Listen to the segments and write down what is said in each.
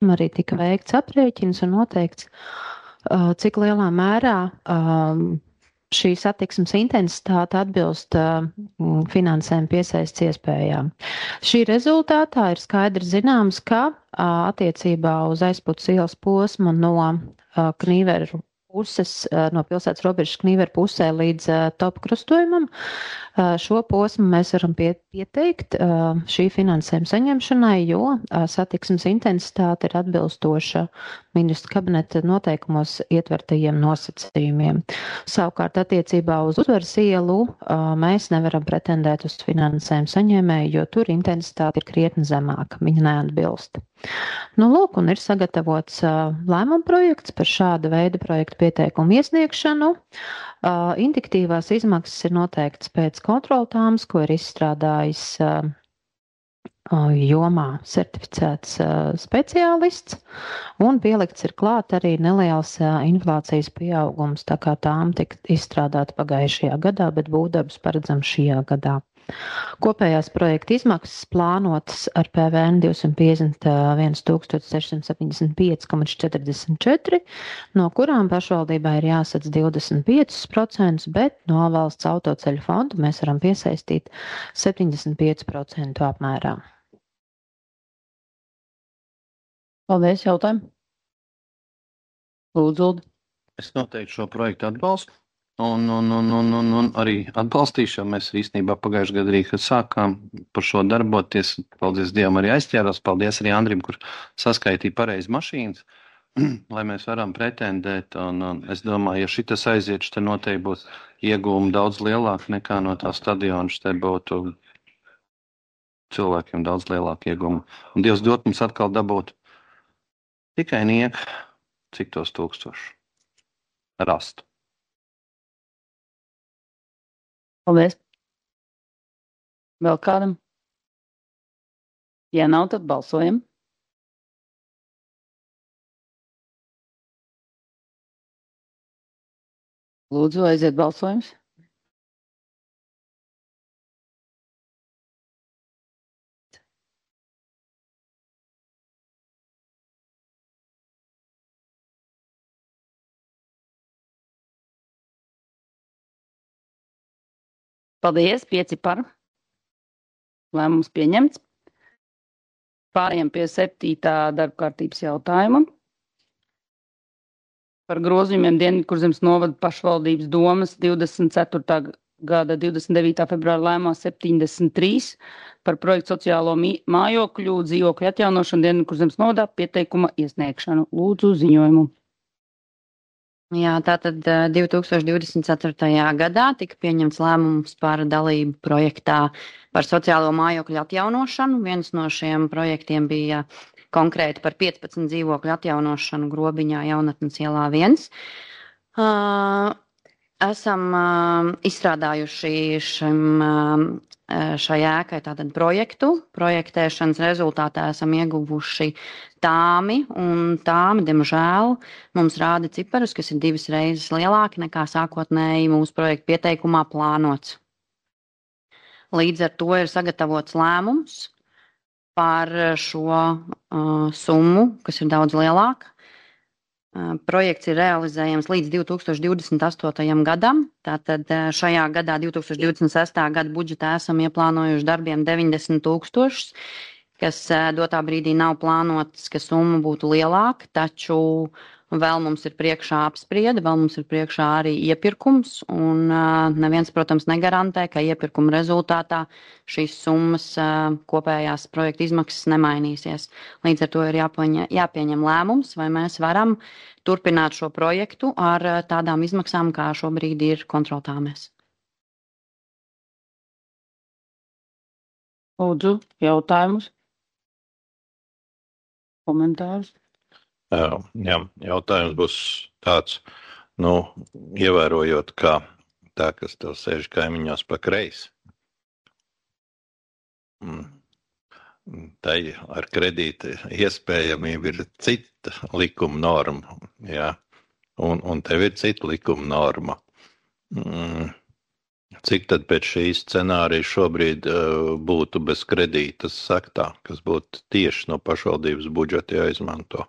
Arī tika veikts aprēķins un noteikts, cik lielā mērā šī satiksmes intensitāte atbilst finansēm piesaists iespējām. Šī rezultātā ir skaidri zināms, ka attiecībā uz Aizputas ielas posmu no Knīveru puses, no pilsētas robežas Knīveru pusē līdz Topa krustojumam, šo posmu mēs varam pieteikt šī finansējuma saņemšanai, jo satiksmes intensitāte ir atbilstoša ministru kabineta noteikumos ietvertajiem nosacījumiem. Savukārt attiecībā uz Uzvaras ielu mēs nevaram pretendēt uz finansējumu saņēmēju, jo tur intensitāte ir krietni zemāka, viņa neatbilst. Nu, lūk, un ir sagatavots lēmuma projekts par šāda veida projektu pieteikumu iesniegšanu. Indiktīvās izmaksas ir noteikts pēc kontroltāmas, ko ir izstrādājis jomā certificēts speciālists, un pielikts ir klāt arī neliels inflācijas pieaugums, tā kā tām tika izstrādāta pagājušajā gadā, bet būvdarbs paredzams šajā gadā. Kopējās projekta izmaksas plānotas ar PVN 251 675,44, no kurām pašvaldībai ir jāsadz 25%, bet no valsts autoceļu fonda mēs varam piesaistīt 75% apmērā. Paldies, jautājumu. Lūdzu, Uldi. Es noteikti šo projektu atbalstu. Un arī atbalstīšu, jo mēs īstenībā pagājušajā gadā arī, kad sākām par šo darboties, paldies Dievam, arī aizķērās, paldies arī Andrim, kur saskaitīja pareizi mašīnas, lai mēs varam pretendēt, un es domāju, ja šitas aiziet, te noteikti būs iegūmi daudz lielāki nekā no tā stadiona, te būtu cilvēkiem daudz lielāki iegūmi. Un Dievs dot mums atkal dabūt tikai nieku, cik tos 1000 rastu. Paldies. Vēl kādam? Ja nav, tad balsojam. Lūdzu, aiziet balsojums. Paldies, 5 par. Lēmums pieņemts. Pārējām pie 7. darba kārtības jautājuma. Par grozījumiem Dienvidkurzemes novada pašvaldības domas 24. gada 29. februāra lēmumā 73 par projektu sociālo mājokļu dzīvokļu atjaunošanu Dienvidkurzemes novadā pieteikuma iesniegšanu. Lūdzu ziņojumu. Jā, tātad 2024. gadā tika pieņemts lēmums par dalību projektā par sociālo mājokļu atjaunošanu. Viens no šiem projektiem bija konkrēti par 15 dzīvokļu atjaunošanu Grobiņā Jaunatnes ielā 1. Esam izstrādājuši šai ēkai tātad projektu. Projektēšanas rezultātā esam ieguvuši tāmi, un tāmi, diemžēl, mums rāda ciparus, kas ir 2 reizes lielāki nekā sākotnēji mūsu projekta pieteikumā plānots. Līdz ar to ir sagatavots lēmums par šo summu, kas ir daudz lielāka. Projekts ir realizējams līdz 2028. gadam, tātad šajā gadā 2026. gada budžetā esam ieplānojuši darbiem 90 000, kas dotā brīdī nav plānots, ka summa būtu lielāka, taču vēl mums ir priekšā apspriede, vēl mums ir priekšā arī iepirkums, un neviens, protams, negarantē, ka iepirkuma rezultātā šīs summas kopējās projekta izmaksas nemainīsies. Līdz ar to ir jāpieņem lēmums, vai mēs varam turpināt šo projektu ar tādām izmaksām, kā šobrīd ir kontroltāmēs. Lūdzu, jautājumus, komentārus. Jā, jautājums būs tāds, ievērojot, kā tā, kas tev sēž kaimiņos pa kreisi. Tai ar kredīta iespējamība ir cita likuma norma, jā, un tev ir cita likuma norma. Cik tad pēc šīs scenārija šobrīd būtu bez kredītas sektā, kas būtu tieši no pašvaldības budžeta jāizmanto?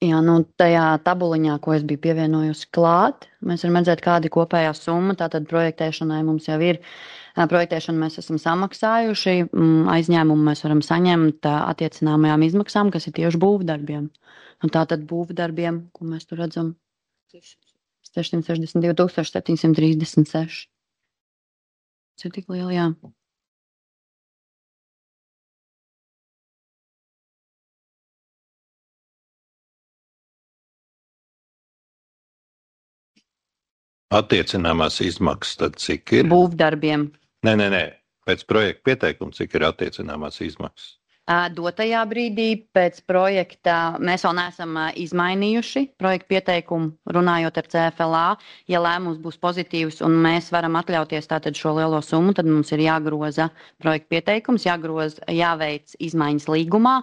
Jā, nu tajā tabuliņā, ko es biju pievienojusi klāt, mēs varam redzēt, kāda ir kopējā summa. Tātad projektēšanai mums jau ir. Projektēšanu mēs esam samaksājuši, aizņēmumu mēs varam saņemt attiecināmajām izmaksām, kas ir tieši būvdarbiem. Un tātad būvdarbiem, ko mēs tur redzam, 662 736. Tas ir tik lieli, jā. Attiecināmās izmaksas tad cik ir? Būvdarbiem. Nē. Pēc projekta pieteikuma cik ir attiecināmās izmaksas? Dotajā brīdī pēc projekta mēs vēl neesam izmainījuši projektu pieteikumu, runājot ar CFLA. Ja lēmums būs pozitīvs un mēs varam atļauties tātad šo lielo summu, tad mums ir jāgroza projektu pieteikums, jāveic izmaiņas līgumā,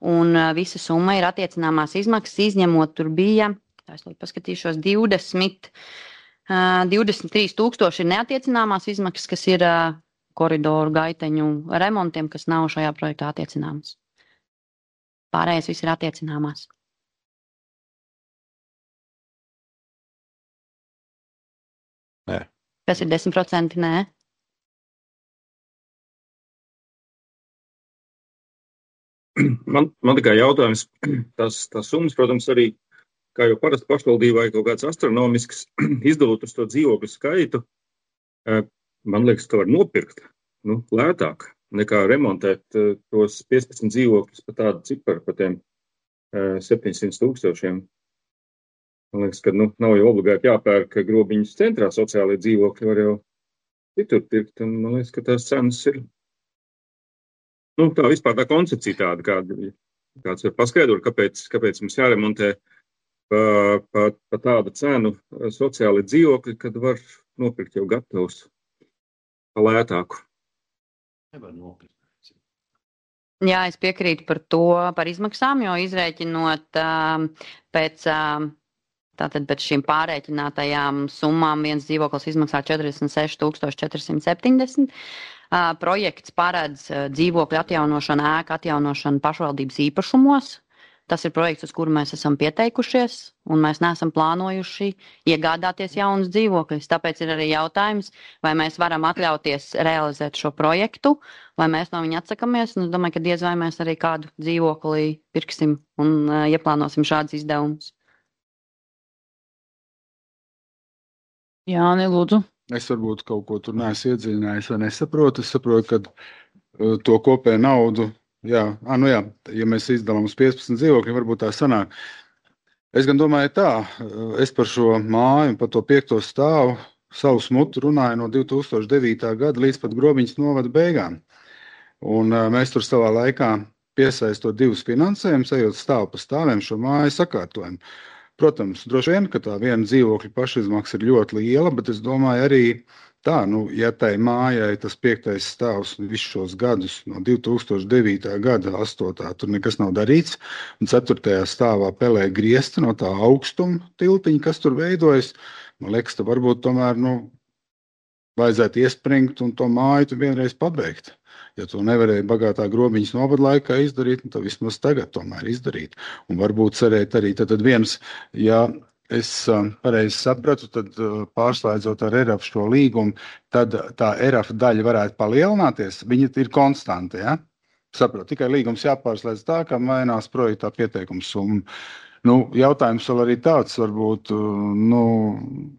un visa summa ir attiecināmās izmaksas, izņemot tur bija, es paskatīšos, 23 000 ir neattiecināmās izmaksas, kas ir koridoru gaiteņu remontiem, kas nav šajā projektā attiecināmas. Pārējais viss ir attiecināmās. Nē. Kas ir 10%? Nē. Man tikai jautājums, tās summas, protams, arī, kā jau parasti pašvaldībai kaut kāds astronomisks, izdalot uz to dzīvokļu skaitu, man liekas, ka var nopirkt lētāk nekā remontēt tos 15 dzīvokļus pa tādu ciparu, pa tiem 700 000. Man liekas, ka nav jau obligāti jāpērk Grobiņas centrā sociālie dzīvokļi, var jau citur pirkt, un man liekas, ka tās cenas ir. Tā vispār tā koncepcija tāda, kāds var paskaidrot, kāpēc mums jāremontē pa tādu cenu sociāli dzīvokļi, kad var nopirkt jau gatavus pa lētāku. Nevar nopirkt. Jā, es piekrītu par izmaksām, jo izrēķinot pēc šīm pārēķinātajām summām viens dzīvoklis izmaksā 46 470. Projekts paredz dzīvokļu atjaunošanu, ēku atjaunošanu pašvaldības īpašumos. Tas ir projekts, uz kuru mēs esam pieteikušies, un mēs neesam plānojuši iegādāties jaunus dzīvokļus. Tāpēc ir arī jautājums, vai mēs varam atļauties realizēt šo projektu, vai mēs no viņa atsakamies. Un es domāju, ka diez vai mēs arī kādu dzīvokli pirksim un ieplānosim šādus izdevumus. Jāni, lūdzu. Es varbūt kaut ko tur neesmu iedziļinājies vai nesaprotu. Es saprotu, ka to kopēju naudu, ja mēs izdalām uz 15 dzīvokļiem, varbūt tā sanāk. Es gan domāju tā, es par šo māju, par to 5. stāvu savu smutu runāju no 2009. gada līdz pat Grobiņas novada beigām. Un mēs tur savā laikā piesaistot divus finansējumus, ejot stāvu pa stāviem šo māju sakārtojumu. Protams, droši vien, ka tā viena dzīvokļa pašizmaksa ir ļoti liela, bet es domāju arī tā, ja tai mājai tas 5. stāvs visus šos gadus no 2009. gada 8. tur nekas nav darīts, un 4. stāvā pelē griezti no tā augstuma tiltiņa, kas tur veidojas, man liekas, ka varbūt tomēr, vajadzētu iespringt un to māju tu vienreiz pabeigt. Ja to nevarēja bagātā Grobiņas novada laikā izdarīt, tad vismaz tagad tomēr izdarīt. Un varbūt cerēt arī tad viens, ja es pareizi sapratu, tad pārslēdzot ar ERAF šo līgumu, tad tā ERAF daļa varētu palielināties. Viņa ir konstanta, ja? Sapratu, tikai līgums jāpārslēdz tā, kā mainās projektā pieteikums summa. Jautājums vēl arī tāds, varbūt,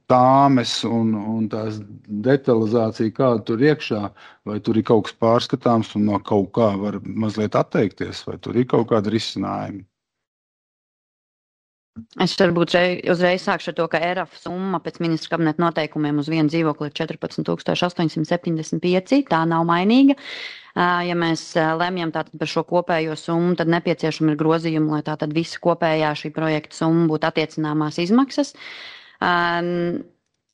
tāmes un tās detalizācija, kāda tur iekšā, vai tur ir kaut kas pārskatāms un no kaut kā var mazliet atteikties, vai tur ir kaut kāda risinājuma? Es varbūt uzreiz sākšu ar to, ka ERAF summa pēc ministra kabineta noteikumiem uz vienu dzīvokli ir 14 875, tā nav mainīga. Ja mēs lemjam tātad par šo kopējo summu, tad nepieciešami ir grozījumi, lai tātad visa kopējā šī projekta summa būtu attiecināmās izmaksas.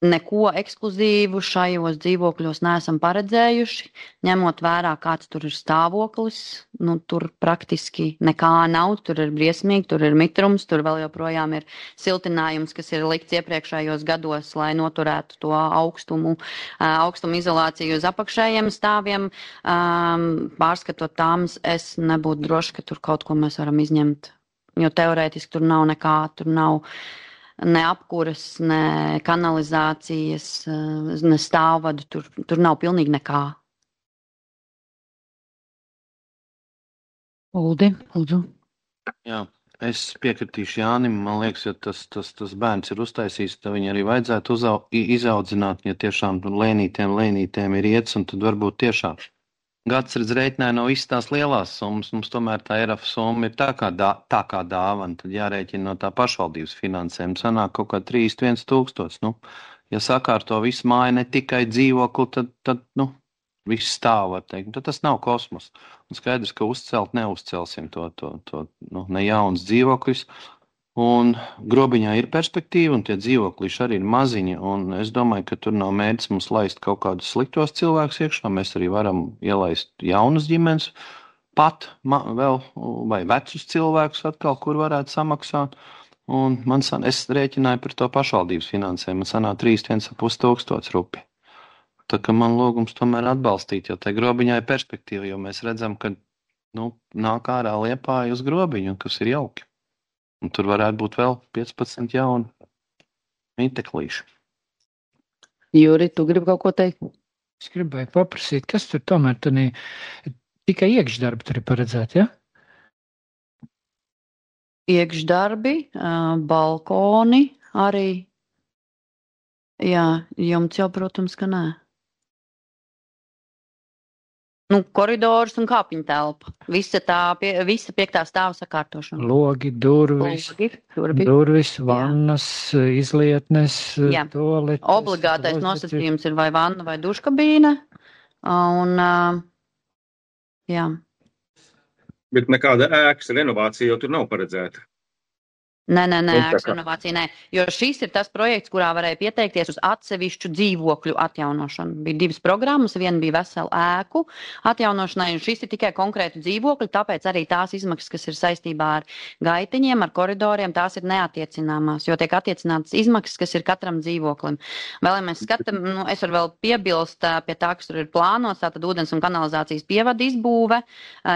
neko ekskluzīvu šajos dzīvokļos neesam paredzējuši, ņemot vērā, kāds tur ir stāvoklis. Nu, tur praktiski nekā nav, tur ir briesmīgi, tur ir mitrums, tur vēl joprojām ir siltinājums, kas ir likts iepriekšējos gados, lai noturētu to augstumu izolāciju uz apakšējiem stāviem. Pārskatot tāmas, es nebūtu droši, ka tur kaut ko mēs varam izņemt, jo teorētiski tur nav nekā, tur nav ne apkuras, ne kanalizācijas, ne stāvvadu, tur nav pilnīgi nekā. Uldi, lūdzu. Jā, es piekritīšu Jānim, man liekas, ja tas bērns ir uztaisījis, tad viņu arī vajadzētu izaudzināt, ja tiešām lēnītēm ir iets, un tad varbūt tiešām gads redz rēķināja no visas tās lielās summas, mums tomēr tā ERAF summa ir tā kā dāvana, tad jārēķina no tā pašvaldības finansējuma, sanāk kaut kā 31 000. Nu, ja sakārto visu māju, ne tikai dzīvokli, tad viss stāv, var teikt, tad tas nav kosmos. Un skaidrs, ka neuzcelsim to ne jauns dzīvokļus, un grobiņā ir perspektīva, un tie dzīvokļi arī ir maziņi, un es domāju, ka tur nav mērķis mums laist kaut kādus sliktos cilvēkus iekšā, mēs arī varam ielaist jaunas ģimenes, pat vēl, vai vecus cilvēkus atkal, kur varētu samaksāt, un es rēķināju par to pašvaldības finansējumu, man sanāk 31 500 rupi. Tā kā man lūgums tomēr atbalstīt, jo tai grobiņā ir perspektīva, jo mēs redzam, ka nāk ārā Liepāja uz grobiņu, kas ir jauki. Un tur varētu būt vēl 15 jauni mīteklīši. Juri, tu gribi kaut ko teikt? Es gribēju paprasīt, kas tur tomēr tikai iekšdarbi tur ir paredzēti, ja? Iekšdarbi, balkoni arī. Jā, jumts jau, protams, ka nē. Koridors un kāpiņu telpa. Visa 5. stāva sakārtošana. Logi, durvis, vannas, izlietnes, toaletes. Obligātais nosacījums ir vai vanna vai duškabīne. Un, jā. Bet nekāda ēkas renovācija jau tur nav paredzēta. Nē, ēkas renovācija nē, jo šis ir tas projekts, kurā varēja pieteikties uz atsevišķu dzīvokļu atjaunošanu. Bija 2 programmas, viena bija vesela ēku atjaunošanai, un šis ir tikai konkrētu dzīvokļu, tāpēc arī tās izmaksas, kas ir saistībā ar gaitiņiem, ar koridoriem, tās ir neatiecināmās, jo tiek attiecinātas izmaksas, kas ir katram dzīvoklim. Vēl, ja mēs skatām, es varu vēl piebilst pie tā, kas tur ir plānots, tātad ūdens un kanalizācijas pievada izbūve,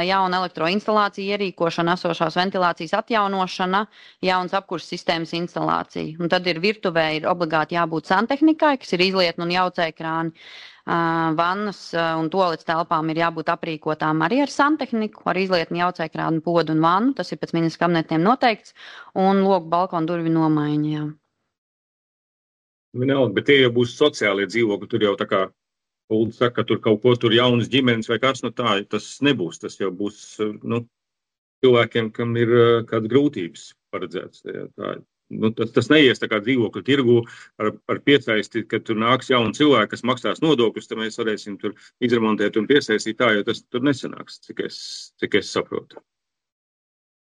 jauna elektroinstalācija ierīkošana, esošās ventilācijas atjaunošana, jauns apkurses sistēmas instalācija. Un tad ir virtuvē ir obligāti jābūt santehnikai, kas ir izlietni un jaucēkrāni. Vannas un toaletes telpām ir jābūt aprīkotām arī ar santehniku, ar izlietni jaucēkrāni, podu un vannu. Tas ir pēc ministra kabinetiem noteikts. Un logu balkonu durvi nomaiņa, jā. Vienalga, bet tie jau būs sociālie dzīvokļi, tur jau tā kā Ulda saka, ka tur kaut ko tur jaunas ģimenes vai kas, tā, tas nebūs. Tas jau būs, cilvēkiem, kam ir kāda grūtības paredzēts. Tas neies tā kā dzīvokļu tirgu ar piesaisti, ka tur nāks jauni cilvēki, kas maksās nodokļus, tad mēs varēsim tur izremontēt un piesaistīt tā, jo tas tur nesanāks, cik es saprotu.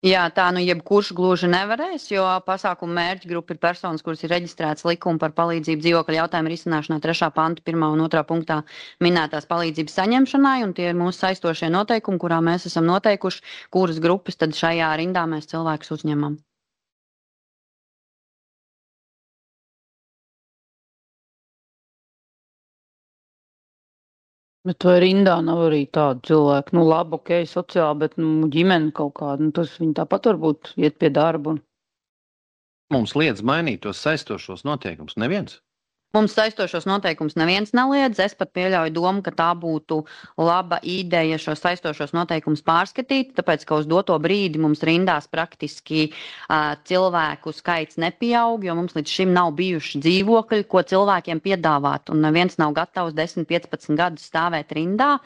Jā, tā jebkurš gluži nevarēs, jo pasākumu mērķa grupa ir personas, kuras ir reģistrētas likuma par palīdzību dzīvokļa jautājumu risināšanā 3. panta 1. un 2. punktā minētās palīdzības saņemšanai, un tie ir mūsu saistošie noteikumi, kurā mēs esam noteikuši, kuras grupas tad šajā rindā mēs cilvēkus uzņemam. Bet vai rindā nav arī tādu cilvēku, labi, ok, sociāli, bet ģimene kaut kāda, tas viņi tāpat varbūt iet pie darba. Mums liedz mainīt tos saistošos noteikumus, neviens. Mums saistošos noteikumus neviens neliedz. Es pat pieļauju domu, ka tā būtu laba ideja šos saistošos noteikumus pārskatīt, tāpēc, ka uz doto brīdi mums rindās praktiski cilvēku skaits nepieaug, jo mums līdz šim nav bijuši dzīvokļi, ko cilvēkiem piedāvāt, un neviens nav gatavs 10-15 gadus stāvēt rindā,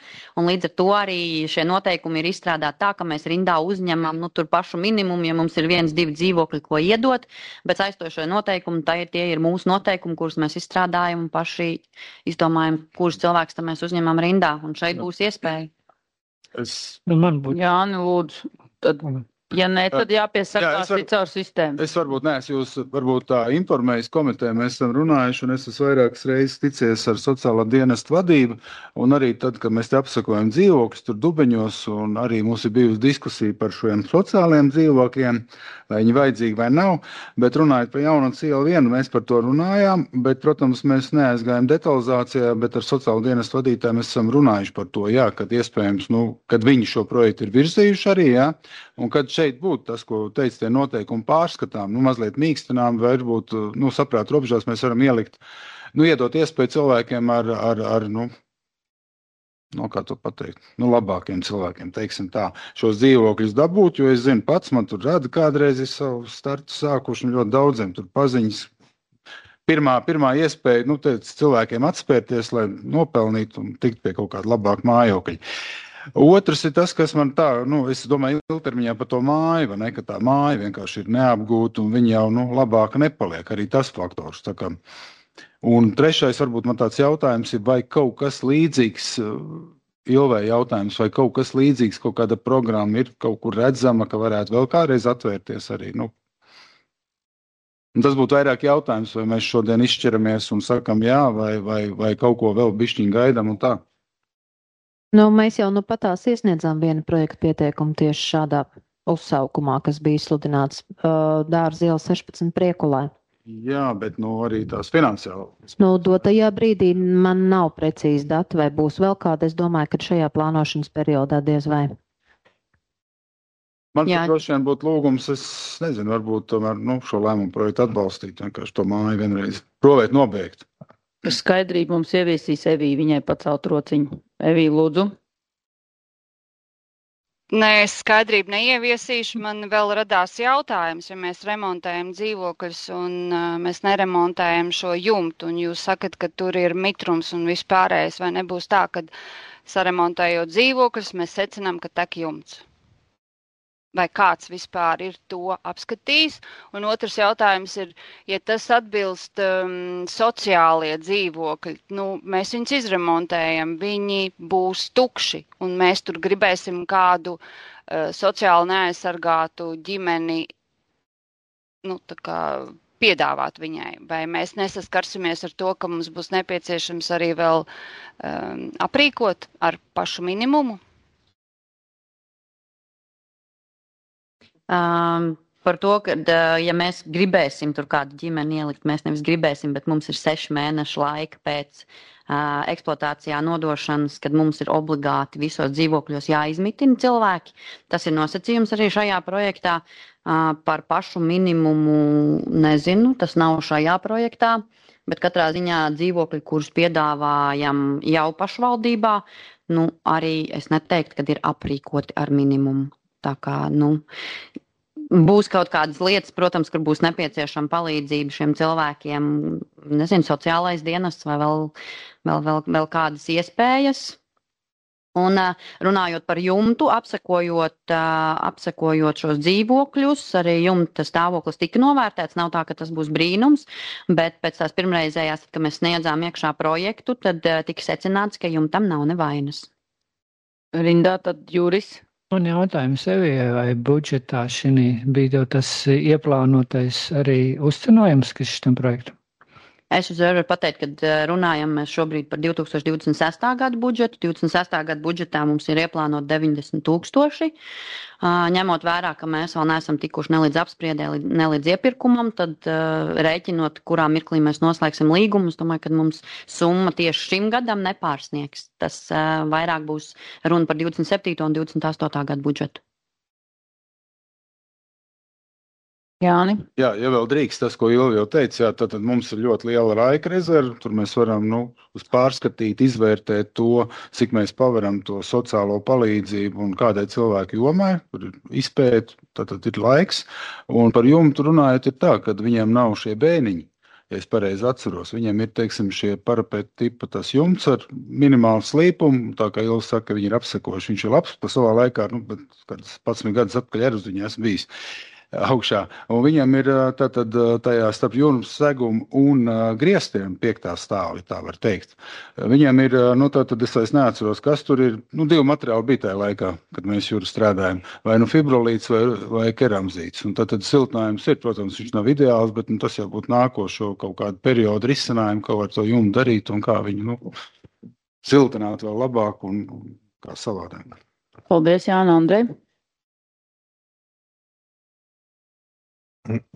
un līdz ar to arī šie noteikumi ir izstrādāti tā, ka mēs rindā uzņemam tur pašu minimumu, ja mums ir 1-2 dzīvokļi, ko iedot, bet saistošie noteikumi, tie ir mūsu noteikumi, kurus mēs izstrādājam un paši izdomājam, kurus cilvēkus tam mēs uzņemam rindā, un šeit būs iespēja. Man būtu. Jāni, lūdzu. Tad... Ja nē, tad jāpiesakās caur sistēmu. Es varbūt neesmu jūs varbūt tā informējis komiteju, mēs esam runājuši, un es esmu vairākas reizes ticies ar sociālā dienesta vadību, un arī tad, kad mēs te apsakojam dzīvokļus tur Dubeņos, un arī mums ir bijusi diskusija par šiem sociālajiem dzīvokļiem, vai viņi vajadzīgi vai nav, bet runājot par Jaunu ielu 1, mēs par to runājām, bet, protams, mēs neaizgājām detalizācijā, bet ar sociālo dienestu vadītāju mēs esam runājuši par to, jā, kad iespējams, kad viņi šo projektu ir virzījuši arī, jā, un kad šeit būtu tas, ko teica tie noteikumi pārskatām, mazliet mīkstinām, vai varbūt, saprāt robežās mēs varam ielikt, iedot iespēju cilvēkiem kā to pateikt, labākiem cilvēkiem, teiksim tā, šos dzīvokļus dabūt, jo es zinu pats, man tur rada kādreiz ir savu startu sākuši, un ļoti daudziem tur paziņas. Pirmā iespēja, cilvēkiem atspērties, lai nopelnītu un tikt pie kaut kāda labāka mājokļa. Otrs ir tas, kas man tā, es domāju, ilgtermiņā par to māju, vai ne, ka tā māja vienkārši ir neapgūta un viņa jau, labāka nepaliek, arī tas faktors. Tā kā. Un trešais, varbūt man tāds jautājums ir, vai kaut kas līdzīgs, Ilvei jautājums, vai kaut kas līdzīgs, kaut kāda programma ir kaut kur redzama, ka varētu vēl kādreiz atvērties arī, Un tas būtu vairāk jautājums, vai mēs šodien izšķiramies un sakam jā, vai kaut ko vēl bišķiņ gaidam un tā. Mēs jau patās iesniedzām vienu projektu pieteikumu tieši šādā uzsaukumā, kas bija izsludināts Dārza iela 16 Priekulē. Jā, bet arī tās finansiāli. Dotajā brīdī man nav precīzi dati, vai būs vēl kāda. Es domāju, ka šajā plānošanas periodā diez vai. Man droši vien būtu lūgums, es nezinu, varbūt tomēr šo lēmumu projektu atbalstīt, vienkārši to māju vienreiz provēt nobeigt. Skaidrību mums ieviesīs Evī, viņai pacelt rociņu. Evī, lūdzu. Nē, es skaidrību neieviesīšu. Man vēl radās jautājums, ja mēs remontējam dzīvokļus un mēs neremontējam šo jumtu, un jūs sakat, ka tur ir mitrums un vispārējais, vai nebūs tā, ka saremontējot dzīvokļus, mēs secinām, ka tek jumts? Vai kāds vispār ir to apskatījis? Un otrs jautājums ir, ja tas atbilst sociālie dzīvokļi, mēs viņus izremontējam, viņi būs tukši, un mēs tur gribēsim kādu sociāli neaizsargātu ģimeni, piedāvāt viņai. Vai mēs nesaskarsimies ar to, ka mums būs nepieciešams arī vēl aprīkot ar pašu minimumu? Par to, ka, ja mēs gribēsim tur kādu ģimeni ielikt, mēs nevis gribēsim, bet mums ir 6 mēnešu laika pēc eksploatācijā nodošanas, kad mums ir obligāti visos dzīvokļos jāizmitina cilvēki. Tas ir nosacījums arī šajā projektā. Par pašu minimumu nezinu, tas nav šajā projektā, bet katrā ziņā dzīvokļi, kurus piedāvājam jau pašvaldībā, arī es neteiktu, ka ir aprīkoti ar minimumu. Tā kā, būs kaut kādas lietas, protams, kur būs nepieciešama palīdzība šiem cilvēkiem, nezinu, sociālais dienests vai vēl kādas iespējas. Un runājot par jumtu, apsekojot šos dzīvokļus, arī jumta stāvoklis tika novērtēts, nav tā, ka tas būs brīnums, bet pēc tās pirmreizējās, kad mēs sniedzām iekšā projektu, tad tika secināts, ka jumtam nav nevainas. Rindā, tad Juris. Un jautājums Evijai, vai budžetā šī bija tas ieplānotais arī uzcenojums, kas šitam projektam? Es uzreiz varu pateikt, ka runājam mēs šobrīd par 2026. gadu budžetu. 26. gadu budžetā mums ir ieplānot 90 000. Ņemot vērā, ka mēs vēl neesam tikuši ne līdz apspriedē, ne līdz iepirkumam, tad rēķinot, kurā mirklī mēs noslēgsim līgumus, domāju, ka mums summa tieši šim gadam nepārsniegs. Tas vairāk būs runa par 27. un 28. gadu budžetu. Jāni. Jā, ja vēl drīkst tas, ko Ilva jau teica, tad mums ir ļoti liela laika rezerve. Tur mēs varam pārskatīt, izvērtēt to, cik mēs pavaram to sociālo palīdzību un kādai cilvēku jomai. Tur ir izpēt, tad ir laiks. Un par jumtu runājot ir tā, ka viņiem nav šie bēniņi. Ja es pareizi atceros, viņiem ir, teiksim, šie parapeta tipa tas jumts ar minimālu slīpumu. Tā kā Ilva saka, viņi ir apsekojuši. Viņš ir labs pa savā laikā, bet 11 gadus atpakaļ ar uz viņu esmu bijis. augšā. Un viņam ir tātad tajā starp jūrums segumu un griestiem 5. stāvi, tā var teikt. Viņam ir, tātad es vairs neatceros, kas tur ir, 2 materiāli bija tajā laikā, kad mēs jūru strādājam, vai fibrolīts vai keramzīts. Un tātad siltinājums ir, protams, viņš nav ideāls, bet tas jau būtu nākošo kaut kādu periodu risinājumu, ko var to jumu darīt un kā viņu, siltināt vēl labāk un kā savādāk. Paldies, Jāna, Andrej.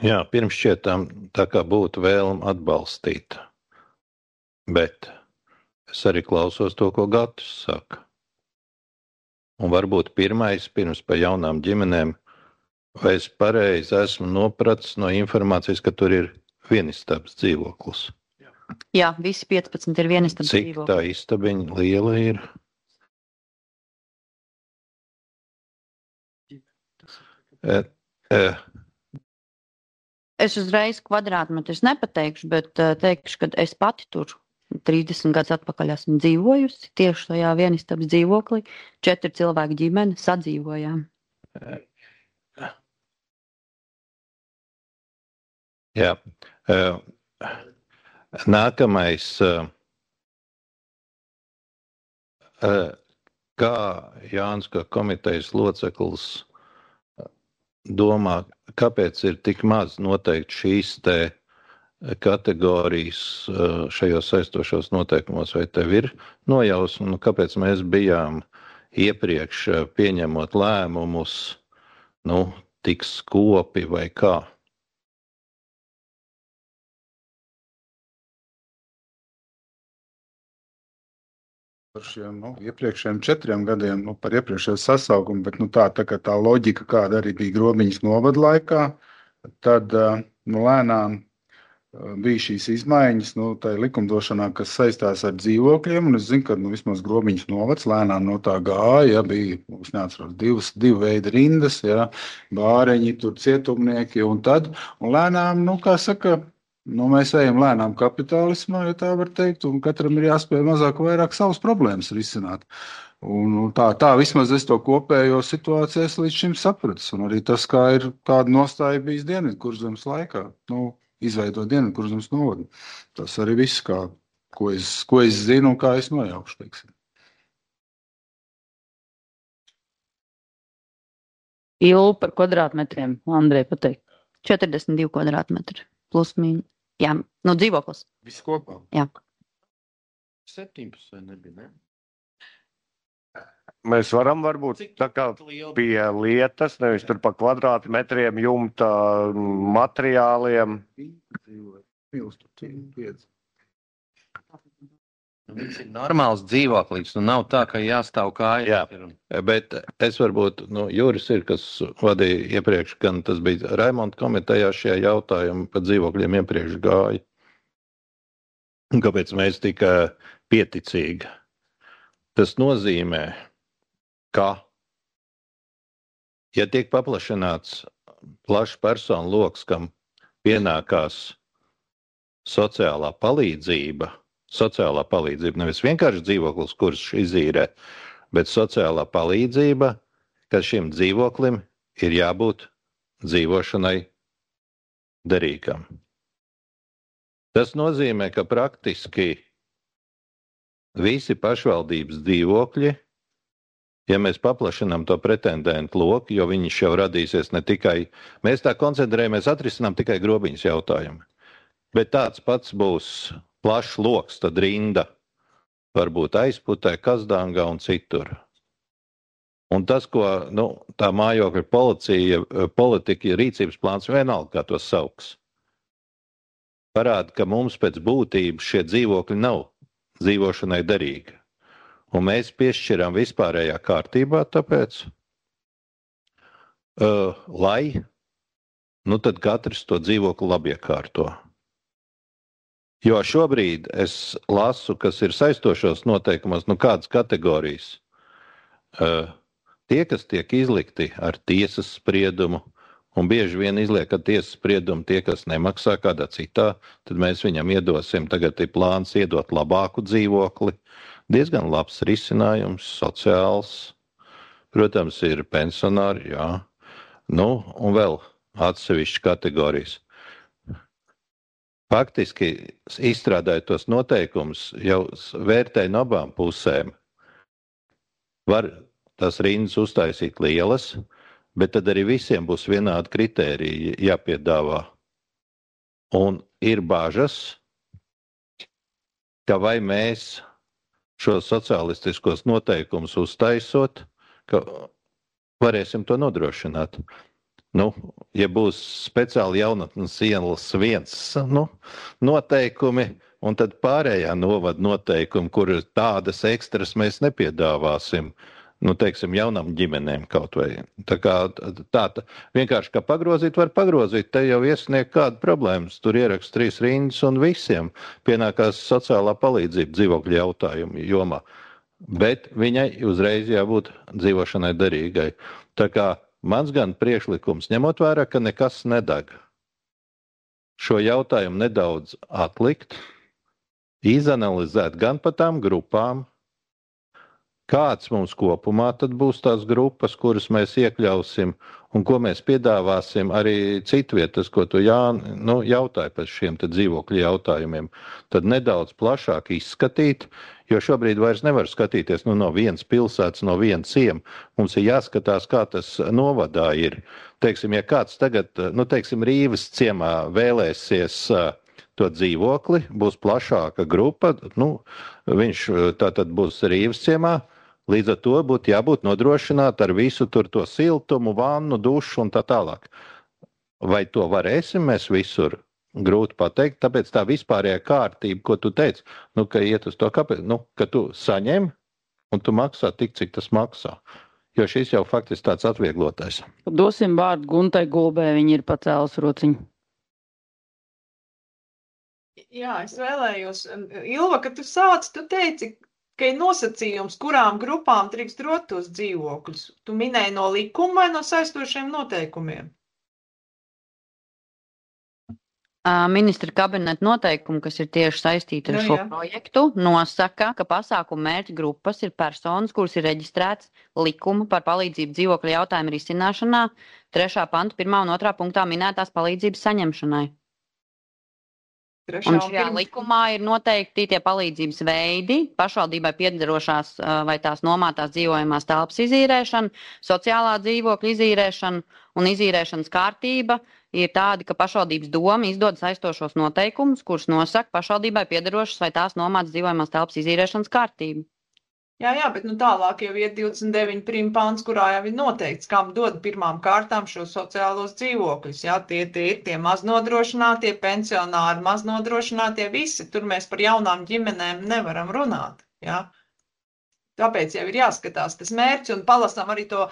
Jā, pirms šķietām tā kā būtu vēlme atbalstīt, bet es arī klausos to, ko Gatis saka. Un varbūt pirmais, pirms par jaunām ģimenēm, vai es pareizi esmu nopratis no informācijas, ka tur ir vienistabas dzīvoklis. Jā, visi 15 ir vienistabas dzīvoklis. Cik tā istabiņa liela ir? Es uzreiz kvadrātmetrus nepateikšu, bet teikšu, ka es pati tur 30 gadus atpakaļ esmu dzīvojusi tieši tajā vienistabas dzīvoklī. 4 cilvēku ģimene sadzīvojām. Jā. Nākamais. Kā Jānis, kā komitejas loceklis, domā, kāpēc ir tik maz noteikti šīs te kategorijas šajos saistošos noteikumos, vai tev ir nojausma, kāpēc mēs bijām iepriekš pieņemot lēmumus, tik skopi vai kā? Par šiem iepriekšējiem 4 gadiem, par iepriekšējo sasaukumu, bet tā loģika, kāda arī bija Grobiņas novada laikā, tad lēnām bija šīs izmaiņas tā likumdošanā, kas saistās ar dzīvokļiem, un es zinu, ka vismaz Grobiņas novads lēnām no tā gāja, bija, es neatceros, divu veidu rindas, bāreņi, tur cietumnieki, un lēnām, kā saka, mēs ejam lēnām kapitālismā, ja tā var teikt, un katram ir jāspēj mazāk vai vairāk savas problēmas risināt. Un tā vismaz es to kopējo situāciju līdz šim sapratis, un arī tas, kāda nostāja bijis Dienvidkurzemes laikā, izveidot Dienvidkurzemes novadu. Tas arī viss, ko es zinu un kā es nojaukšu, teiksim. Ilu par kvadrātmetriem, Andrej, pateikt. 42 kvadrātmetri plus mīnus. Jā, dzīvoklis. Viss kopā? Jā. 17 nebija, ne? Mēs varam varbūt tā kā pie lietas, nevis tur pa kvadrātmetriem jumta materiāliem. Viņš ir normāls dzīvoklis, nav tā, ka jāstāv kājas. Jā, bet es varbūt, Juris ir, kas vadīja iepriekš, gan tas bija Raimonda komitejā šajā jautājumā par dzīvokļiem iepriekš gāja. Kāpēc mēs tikai pieticīgi? Tas nozīmē, ka, ja tiek paplašināts plašs personu loks, kam pienākās sociālā palīdzība, nevis vienkārši dzīvoklis, kurš izīrē, bet sociālā palīdzība, ka šim dzīvoklim ir jābūt dzīvošanai derīgam. Tas nozīmē, ka praktiski visi pašvaldības dzīvokļi, ja mēs paplašinām to pretendentu loku, jo viņš jau radīsies ne tikai, mēs tā koncentrējamies, atrisinām tikai Grobiņas jautājumu, bet tāds pats būs plašs loks, tad rinda varbūt Aizputē, Kazdāngā un citur. Un tas, ko tā mājokļa politika, rīcības plāns, vienalga, kā to sauks, parāda, ka mums pēc būtības šie dzīvokļi nav dzīvošanai derīgi. Un mēs piešķiram vispārējā kārtībā tāpēc, lai, tad katrs to dzīvokli labi iekārto. Jo šobrīd es lasu, kas ir saistošos noteikumos, kādas kategorijas. Tie, kas tiek izlikti ar tiesas spriedumu, un bieži vien izliek ar tiesas spriedumu tie, kas nemaksā kādā citā, tad mēs viņam iedosim, tagad ir plāns iedot labāku dzīvokli. Diezgan labs risinājums, sociāls. Protams, ir pensionāri, jā. Un vēl atsevišķas kategorijas. Faktiski, izstrādājot tos noteikumus, jau vērtēja no abām pusēm. Var tās rindas uztaisīt lielas, bet tad arī visiem būs vienādi kritēriji jāpiedāvā. Un ir bažas, ka vai mēs šos sociālistiskos noteikumus uztaisot, ka varēsim to nodrošināt. Ja būs speciāli jaunatnes ielas viens noteikumi, un tad pārējā novada noteikumi, kur tādas ekstras mēs nepiedāvāsim, teiksim, jaunām ģimenēm kaut vai. Tā kā vienkārši, kā pagrozīt, var pagrozīt, te jau iesniegt kādu problēmas, tur ierakst 3 rindas un visiem pienākās sociālā palīdzība dzīvokļu jautājumu jomā. Bet viņai uzreiz jābūt dzīvošanai derīgai. Tā kā mans gan priekšlikums, ņemot vērā, ka nekas nedeg, šo jautājumu nedaudz atlikt, izanalizēt gan pa tām grupām, kāds mums kopumā tad būs tās grupas, kuras mēs iekļausim un ko mēs piedāvāsim arī citvietas, ko tu jautāji par šiem te dzīvokļu jautājumiem. Tad nedaudz plašāk izskatīt, jo šobrīd vairs nevar skatīties no vienas pilsētas, no viena ciema. Mums ir jāskatās, kā tas novadā ir. Teiksim, ja kāds tagad, Rīvas ciemā vēlēsies to dzīvokli, būs plašāka grupa, viņš tātad būs Rīvas ciemā, līdz ar to būtu jābūt nodrošināt ar visu tur to siltumu, vannu, dušu un tā tālāk. Vai to varēsim mēs visur? Grūti pateikt, tāpēc tā vispārējā kārtība, ko tu teici, ka iet uz to, ka tu saņem un tu maksā tik, cik tas maksā. Jo šis jau faktiski tāds atvieglotais. Dosim vārdu Guntai Gulbē, viņa ir pacēlus rociņu. Jā, es vēlējos. Ilva, kad tu sāc, tu teici, ka ir nosacījums, kurām grupām drīkst dot tos dzīvokļus. Tu minēji no likuma vai no saistošiem noteikumiem? Ministra kabineta noteikumi, kas ir tieši saistīti ar šo projektu, nosaka, ka pasākumu mērķa grupas ir personas, kuras ir reģistrētas likuma par palīdzību dzīvokļu jautājumu risināšanā, 3. panta 1. un 2. punktā minētās palīdzības saņemšanai. Un šajā likumā ir noteikti tie palīdzības veidi, pašvaldībai piederošās vai tās nomātās dzīvojamās telpas izīrēšana, sociālā dzīvokļa izīrēšana un izīrēšanas kārtība ir tādi, ka pašvaldības doma izdod saistošos noteikumus, kurus nosaka pašvaldībai piederošas vai tās nomātas dzīvojamās telpas izīrēšanas kārtību. Jā, bet tālāk jau ir 29 prima pants, kurā jau ir noteikts, kam dod pirmām kārtām šos sociālos dzīvokļus. Jā, tie ir tie maznodrošinātie, pensionāri maznodrošinātie, visi. Tur mēs par jaunām ģimenēm nevaram runāt. Jā. Tāpēc jau ir jāskatās tas mērķis un palasām arī to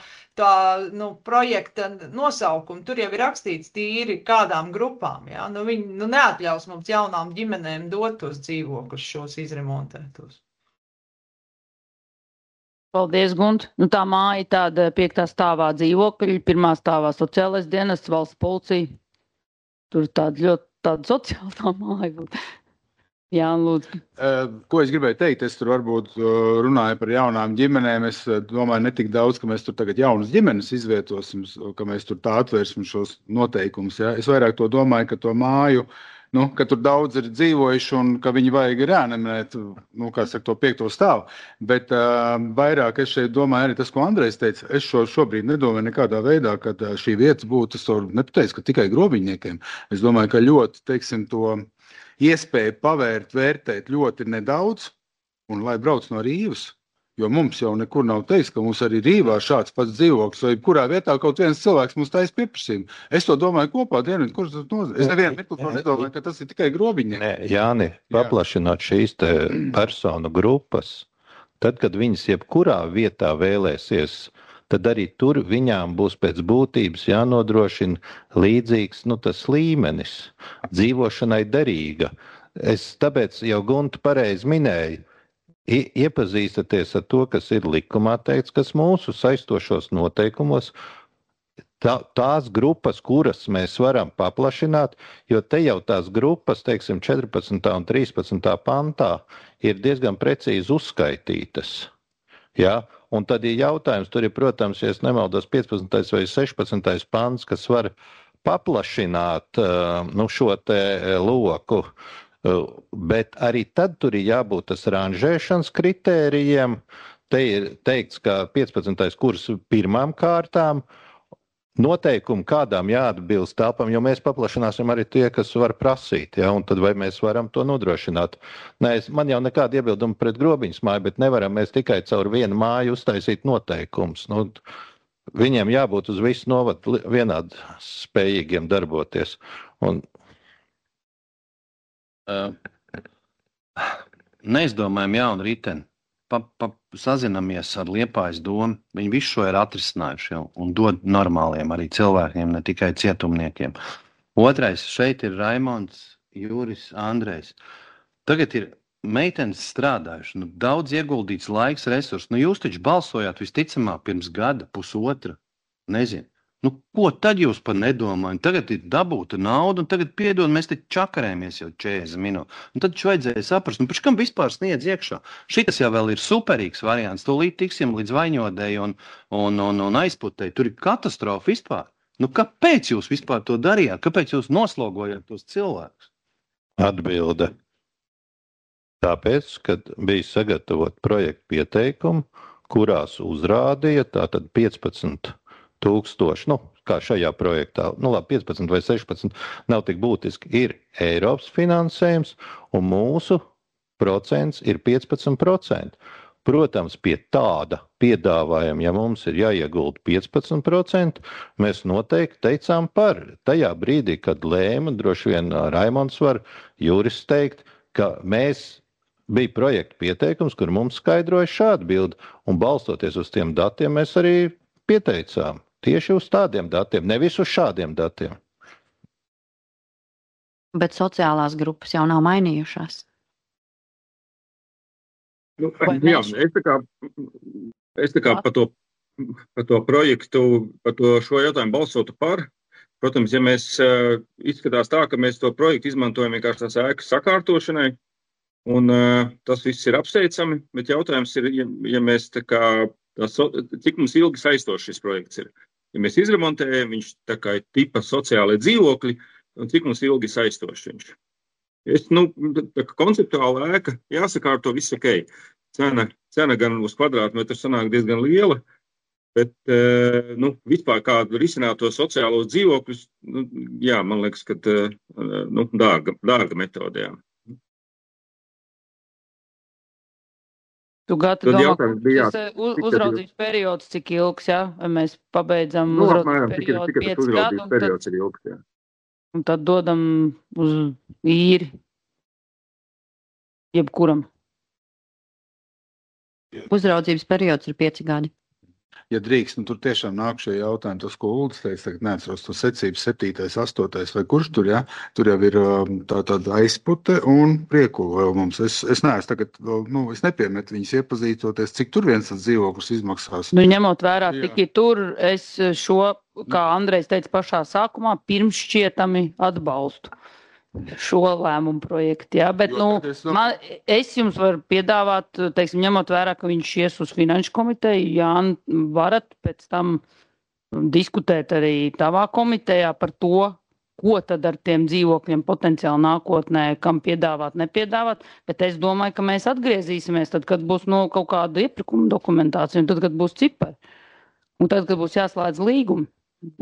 projekta nosaukumu. Tur jau ir rakstīts tīri kādām grupām. Jā. Viņi neatļaus mums jaunām ģimenēm dot tos dzīvokļus, šos izremontētos. Paldies, Gunt. Tā māja tāda 5. stāvā dzīvokļi, 1. stāvā sociālais dienests, valsts policija. Tur tāda sociāla tā māja. Jā, lūdzu. Ko es gribēju teikt? Es tur varbūt runāju par jaunām ģimenēm. Es domāju ne tik daudz, ka mēs tur tagad jaunas ģimenes izvietosim, ka mēs tur tā atvērsim šos noteikumus. Ja? Es vairāk to domāju, ka to māju, ka tur daudz ir dzīvojuši un ka viņi vajag reanimēt, to 5. stāvu. Bet vairāk es šeit domāju arī tas, ko Andrejs teica. Es šobrīd nedomāju nekādā veidā, ka šī vietas būtu, es nepateicu, ka tikai grobiņniekiem. Es domāju, ka ļoti, to iespēju pavērt, vērtēt ļoti nedaudz un lai brauc no Rīvas. Jo mums jau nekur nav teiks, ka mums arī Rīvā šāds pats dzīvoklis, vai kurā vietā kaut viens cilvēks mums taisa pieprasījumu. Es to domāju kopā, es nevienu mirkli nedomāju, ka tas ir tikai grobiņi. Nē, Jāni, paplašināt šīs te personu grupas, tad, kad viņas jebkurā vietā vēlēsies, tad arī tur viņām būs pēc būtības jānodrošina līdzīgs, tas līmenis, dzīvošanai derīga. Es tāpēc jau Gunta pareizi minēju, iepazīstaties ar to, kas ir likumā teikts, kas mūsu saistošos noteikumos, tās grupas, kuras mēs varam paplašināt, jo te jau tās grupas, 14. un 13. pantā, ir diezgan precīzi uzskaitītas. Ja? Un tad ir jautājums, tur ir, protams, ja es nemaldos, 15. vai 16. pants, kas var paplašināt šo te loku, bet arī tad tur ir jābūt tas ranžēšanas kritērijiem. Te ir teikts, ka 15. kurs pirmām kārtām, noteikumi, kādām jāatbilst telpām, jo mēs paplašināsim arī tie, kas var prasīt, ja, un tad vai mēs varam to nodrošināt. Nē, man jau nekāda iebilduma pret Grobiņas māju, bet nevaram mēs tikai caur vienu māju uztaisīt noteikums. Viņiem jābūt uz visu novadu vienādi spējīgiem darboties. Neizdomājam jaunu riteni. Sazinamies ar Liepājas domu. Viņi visu šo ir atrisinājuši jau un dod normāliem arī cilvēkiem, ne tikai cietumniekiem. Otrais, šeit ir Raimonds, Juris, Andrejs. Tagad ir meitenes strādājuši, daudz ieguldīts laiks, resursi. Jūs taču balsojāt visticamāk pirms gada, pusotra, nezinu. Ko tad jūs par nedomājat? Tagad ir dabūta nauda, un tagad piedod, mēs te čakarējamies jau 40 minūtes. Un tad vajadzēja saprast, pēc kam vispār sniedz iekšā. Šitas jau vēl ir superīgs variants. Tūlīt tiksim līdz Vaņodei un Aizputei. Tur ir katastrofa vispār. Kāpēc jūs vispār to darījāt? Kāpēc jūs noslogojāt tos cilvēkus? Atbilde. Tāpēc, kad bija sagatavot projektu pieteikumu, kurās uzrādīja tātad 15 000, kā šajā projektā, 15 vai 16, nav tik būtiski, ir Eiropas finansējums, un mūsu procents ir 15%. Protams, pie tāda piedāvājuma, ja mums ir jāiegulda 15%, mēs noteikti teicām par. Tajā brīdī, kad lēma, droši vien Raimonds var, Juris teikt, ka bija projekta pieteikums, kur mums skaidroja šādu bildi, un balstoties uz tiem datiem mēs arī pieteicām. Tieši uz tādiem datiem, nevis uz šādiem datiem. Bet sociālās grupas jau nav mainījušās. Es tā kā par to projektu, par šo jautājumu balsotu par. Protams, ja mēs izskatās tā, ka mēs to projektu izmantojam vienkārši tās ēkas sakārtošanai, un tas viss ir apsveicami, bet jautājums ir, ja mēs tā kā, cik mums ilgi saistošs šis projekts ir. Ja mēs izremontējam, viņš tā kā ir tipa sociālai dzīvokļi, un cik mums ilgi saistošs viņš. Tā kā konceptuāla ēka, jāsakārto viss ok. Cena gan uz kvadrātmetru sanāk diezgan liela, bet vispār kādu risināt to sociālos dzīvokļus, man liekas, ka dārga metode, jā. Tu gati domā, ka uzraudzības periods cik ilgs, jā? Vai mēs pabeidzam uzraudzības periodu 5 gadu, un tad dodam uz īri jebkuram? Uzraudzības periods ir 5 gadi. Ja drīkst, tur tiešām nāk šie jautājumi, tas, ko Uldis teica, tagad neatceros to secību 7., 8. vai kurš tur, jā? Tur jau ir tāda Aizpute un Priekula vēl mums. Es neesmu tagad, es nepiemetu viņus iepazīstoties, cik tur viens tas dzīvoklis izmaksās. Ņemot vērā tikai tur, es šo, kā Andrejs teica pašā sākumā, pirms šķietami atbalstu šo lēmumu projektu, jā, bet, es jums varu piedāvāt, teiksim, ņemot vērā, ka viņš ies uz finanšu komiteju, Jāni, varat pēc tam diskutēt arī tavā komitejā par to, ko tad ar tiem dzīvokļiem potenciāli nākotnē, kam piedāvāt, nepiedāvāt, bet es domāju, ka mēs atgriezīsimies tad, kad būs kaut kāda iepirkuma dokumentācija, un tad, kad būs cipari, un tad, kad būs jāslēdz līgumi.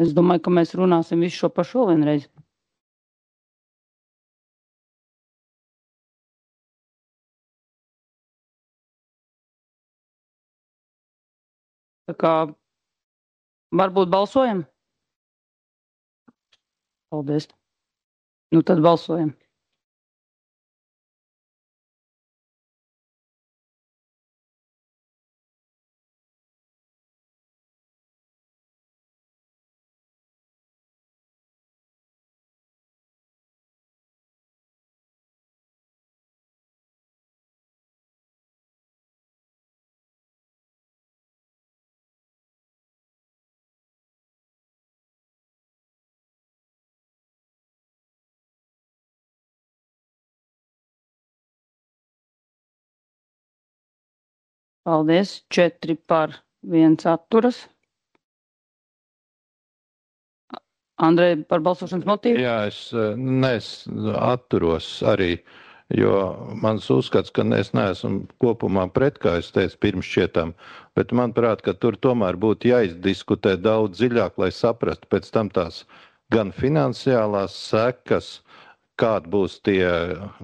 Es domāju, ka mēs runāsim visu šo pašu vienreiz. Tā kā varbūt balsojam? Paldies. Tad balsojam. Paldies. 4 par, 1 atturas. Andrej, par balsošanas motīvu? Jā, es atturos arī, jo mans uzskats, ka es neesmu kopumā pret, kā es teicu pirms šķietam, bet manuprāt, ka tur tomēr būtu jāizdiskutē daudz dziļāk, lai saprastu pēc tam tās gan finansiālās sekas, kāda būs tie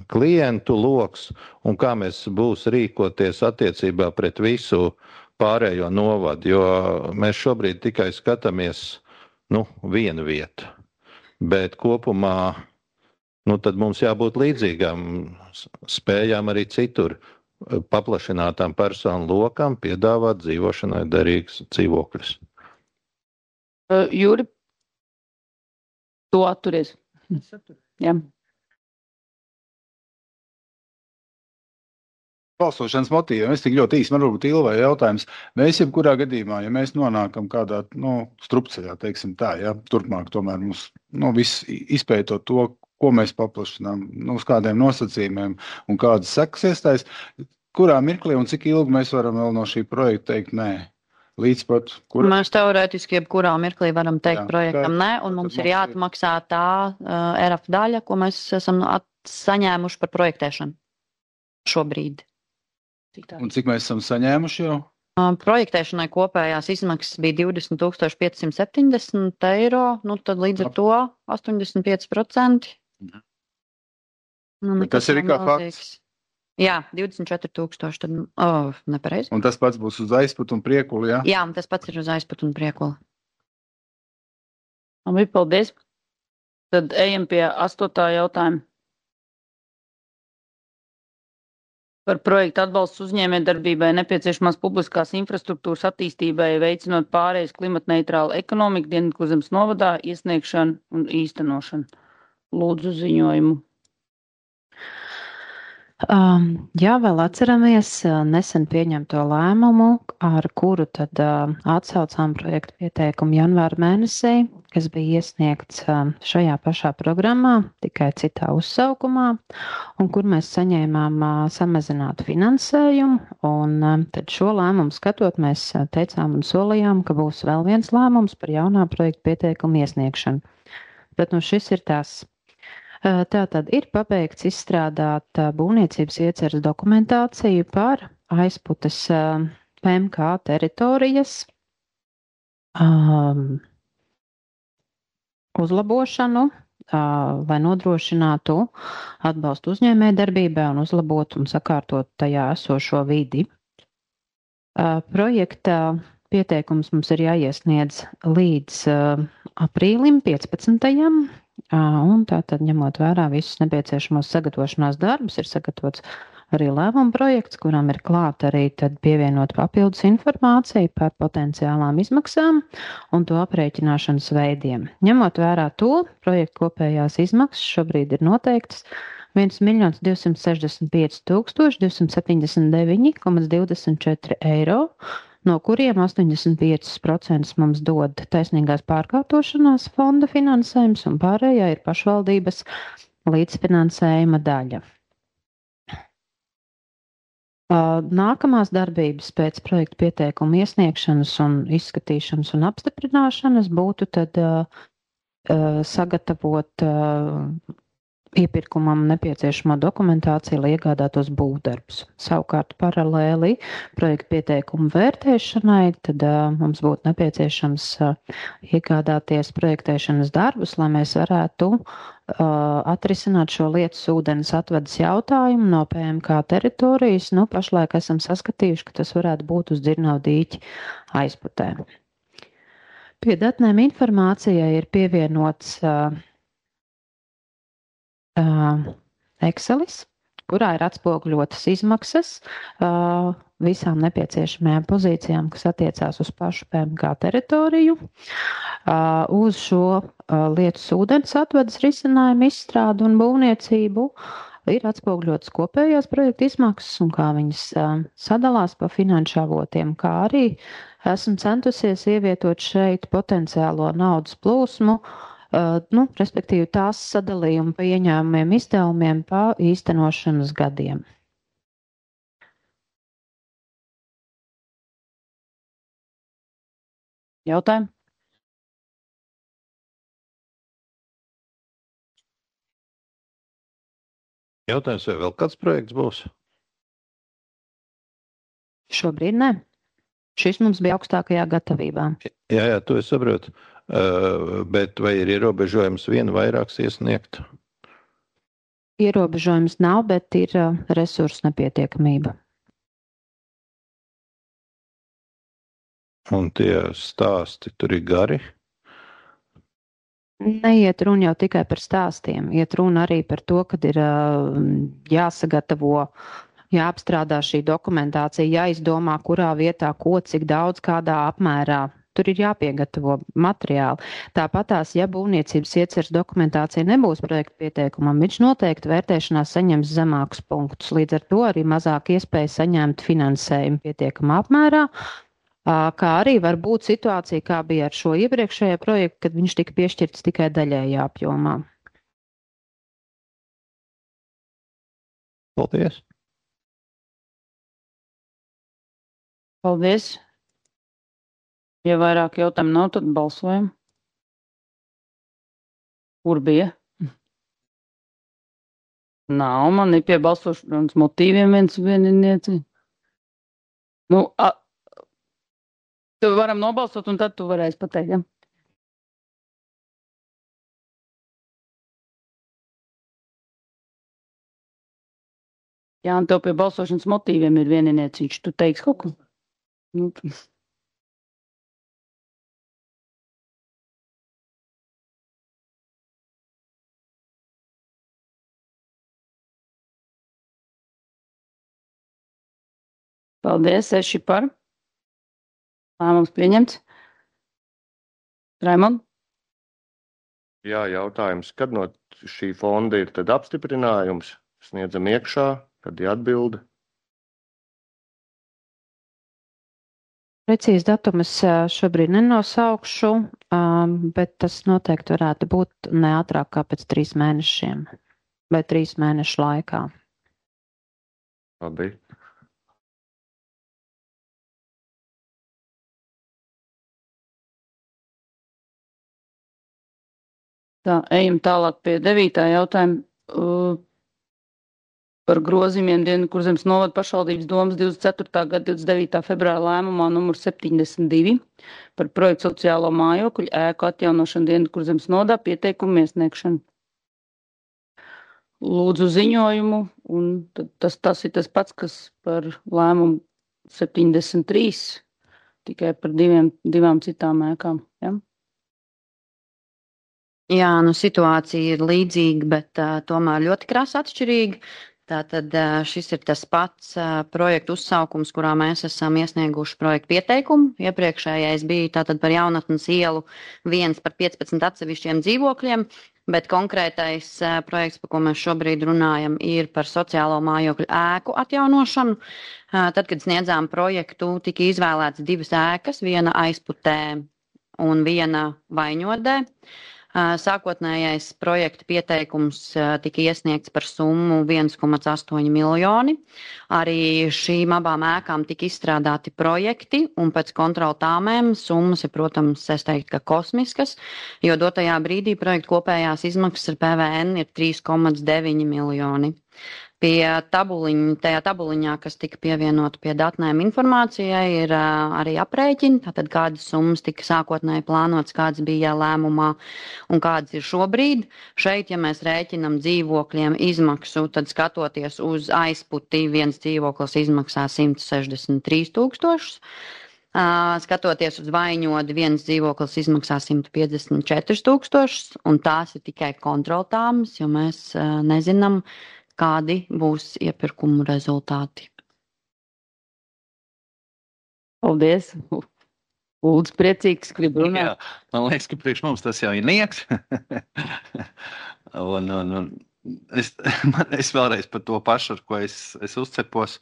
klientu loks un kā mēs būs rīkoties attiecībā pret visu pārējo novadu, jo mēs šobrīd tikai skatāmies, vienu vietu. Bet kopumā, tad mums jābūt līdzīgām spējām arī citur paplašinātām personu lokam piedāvāt dzīvošanai derīgus dzīvokļus. Jūri, tu atturies? Jā. Balsošanas motīviem. Es tik ļoti īsti, man varbūt Ilvai jautājums. Mēs jebkurā gadījumā, ja mēs nonākam kādā, strupceļā, teiksim tā, ja, turpmāk tomēr mums, viss izpētot to, ko mēs paplašinām, uz kādiem nosacījumiem un kādas sekas iestājas, kurā mirklī un cik ilgi mēs varam vēl no šī projekta teikt nē. Līdz pat, Mēs teorētiski jebkurā mirklī varam teikt projektam nē, un mums ir jāatmaksā tā RF daļa, ko mēs esam saņēmuši par projektēšanu šobrīd. Un cik mēs esam saņēmuši jau? Projektēšanai kopējās izmaksas bija 20 570 eiro, tad līdz ar to 85%. Tas ir kā fakts? Jā, 24 000, tad nepareizi. Un tas pats būs uz Aizputu un Priekuli, jā? Jā, tas pats ir uz Aizputu un Priekuli. Labi, paldies. Tad ejam pie 8. jautājuma. Par projektu atbalstu uzņēmējdarbībai nepieciešamās publiskās infrastruktūras attīstībai, veicinot pārējas klimatneitrālu ekonomiku Dienvidkurzemes novadā, iesniegšanu un īstenošanu. Lūdzu ziņojumu. Jā, vēl atceramies nesen pieņemto lēmumu, ar kuru tad atsaucām projektu pieteikumu janvāra mēnesī, kas bija iesniegts šajā pašā programmā, tikai citā uzsaukumā, un kur mēs saņēmām samazinātu finansējumu, un tad šo lēmumu skatot, mēs teicām un solījām, ka būs vēl viens lēmums par jaunā projektu pieteikumu iesniegšanu. Bet šis ir tās. Tātad ir pabeigts izstrādāt būvniecības ieceres dokumentāciju par Aizputes PMK teritorijas uzlabošanu, lai nodrošinātu atbalstu uzņēmējdarbībai un uzlabotu un sakārtot tajā esošo vidi. Projekta pieteikums mums ir jāiesniedz līdz aprīlim 15. Un tātad, ņemot vērā visus nepieciešamos sagatavošanās darbus, ir sagatavots arī lēmuma projekts, kuram ir klāt arī tad pievienot papildus informāciju par potenciālām izmaksām un to aprēķināšanas veidiem. Ņemot vērā to, projekta kopējās izmaksas šobrīd ir noteiktas 1 265 279,24 eiro, no kuriem 85% mums dod taisnīgās pārkārtošanās fonda finansējums un pārējā ir pašvaldības līdzfinansējuma daļa. Nākamās darbības pēc projekta pieteikuma iesniegšanas un izskatīšanas un apstiprināšanas būtu tad sagatavot iepirkumam nepieciešamo dokumentāciju, lai iegādātos būvdarbus. Savukārt paralēli projekta pieteikumu vērtēšanai, tad mums būtu nepieciešams iegādāties projektēšanas darbus, lai mēs varētu atrisināt šo lietas ūdens atvedes jautājumu no PMK teritorijas. Pašlaik esam saskatījuši, ka tas varētu būt uz Dzirnavu dīķi Aizputē. Pie datnēm informācijai ir pievienots Excelis, kurā ir atspoguļotas izmaksas visām nepieciešamajām pozīcijām, kas attiecās uz pašu PMK teritoriju, uz šo lietas ūdens atvedes risinājumu izstrādu un būvniecību, ir atspoguļotas kopējās projekta izmaksas un kā viņas sadalās pa finanšu avotiem, kā arī esmu centusies ievietot šeit potenciālo naudas plūsmu, respektīvi tās sadalījumu pa ieņēmumiem izdevumiem pa īstenošanas gadiem. Jautājumi? Jautājums, vai vēl kāds projekts būs? Šobrīd ne. Šis mums bija augstākajā gatavībā. Jā, to es saprotu. Bet vai ir ierobežojums vienu vairāks iesniegt? Ierobežojums nav, bet ir resursu nepietiekamība. Un tie stāsti tur ir gari? Neiet runa jau tikai par stāstiem. Iet runa arī par to, kad ir jāsagatavo, jāapstrādā šī dokumentācija, jāizdomā, kurā vietā, ko, cik daudz, kādā apmērā. Tur ir jāpiegatavo materiāli. Tāpatās, ja būvniecības ieceres dokumentācija nebūs projekta pieteikumam, viņš noteikti vērtēšanā saņems zemākus punktus. Līdz ar to arī mazāk iespēja saņemt finansējumu pietiekamā apmērā, kā arī var būt situācija, kā bija ar šo iepriekšējo projektu, kad viņš tika piešķirts tikai daļējā apjomā. Paldies! Paldies! Ja vairāk jautājumu nav, tad balsojam. Kur bija? Nav, man ir pie balsošanas motīviem vieninieci. Tu varam nobalsot, un tad tu varēsi pateikt, ja? Jā, un tev pie balsošanas motīviem ir vieninieciņš. Tu teiksi kaut ko? Paldies, 6 par. Lēmums pieņemts. Raimond? Jā, jautājums, kad no šī fonda ir tad apstiprinājums? Sniedzam iekšā, kad ir atbilde? Precīzi datumus šobrīd nenosaukšu, bet tas noteikti varētu būt ne ātrāk kā pēc 3 mēnešiem vai 3 mēnešu laikā. Labi. Tā, ejam tālāk pie 9. jautājuma par grozījumiem Dienvidkurzemes novada pašvaldības domas 24. gada 29. februāra lēmumā numur 72 par projektu sociālo mājokļu ēku atjaunošanu Dienvidkurzemes novadā pieteikumu iesniegšanu. Lūdzu ziņojumu, un tas ir tas pats, kas par lēmumu 73, tikai par divām citām ēkām. Ja? Jā, situācija ir līdzīga, bet tomēr ļoti krasi atšķirīga. Tātad šis ir tas pats projektu uzsaukums, kurā mēs esam iesnieguši projektu pieteikumu. Iepriekšējais bija tātad par Jaunatnes ielu 1 par 15 atsevišķiem dzīvokļiem, bet konkrētais projekts, par ko mēs šobrīd runājam, ir par sociālo mājokļu ēku atjaunošanu. Tad, kad sniedzām projektu, tika izvēlēts 2 ēkas, viena aizputē un viena Vaiņodē. Sākotnējais projekta pieteikums tika iesniegts par summu 1,8 miljoni. Arī šīm abām ēkām tika izstrādāti projekti, un pēc kontrola tāmēm summas ir, protams, es teiktu, ka kosmiskas, jo dotajā brīdī projekta kopējās izmaksas ar PVN ir 3,9 miljoni. Tajā tabuliņā, kas tika pievienota pie datnēm informācijai, ir arī aprēķini, tātad kādas summas tika sākotnēji plānotas, kādas bija lēmumā un kādas ir šobrīd. Šeit, ja mēs rēķinam dzīvokļiem izmaksu, tad skatoties uz aizputi, viens dzīvoklis izmaksā 163 000. Skatoties uz Vaiņodi, viens dzīvoklis izmaksā 154 000, un tās ir tikai kontroltāmas, jo mēs nezinām, kādi būs iepirkumu rezultāti. Paldies! Lūdzu, priecīgs, gribu runāt. Jā, man liekas, ka priekš mums tas jau ir nieks. Es vēlreiz par to pašu, ar ko es uzcepos.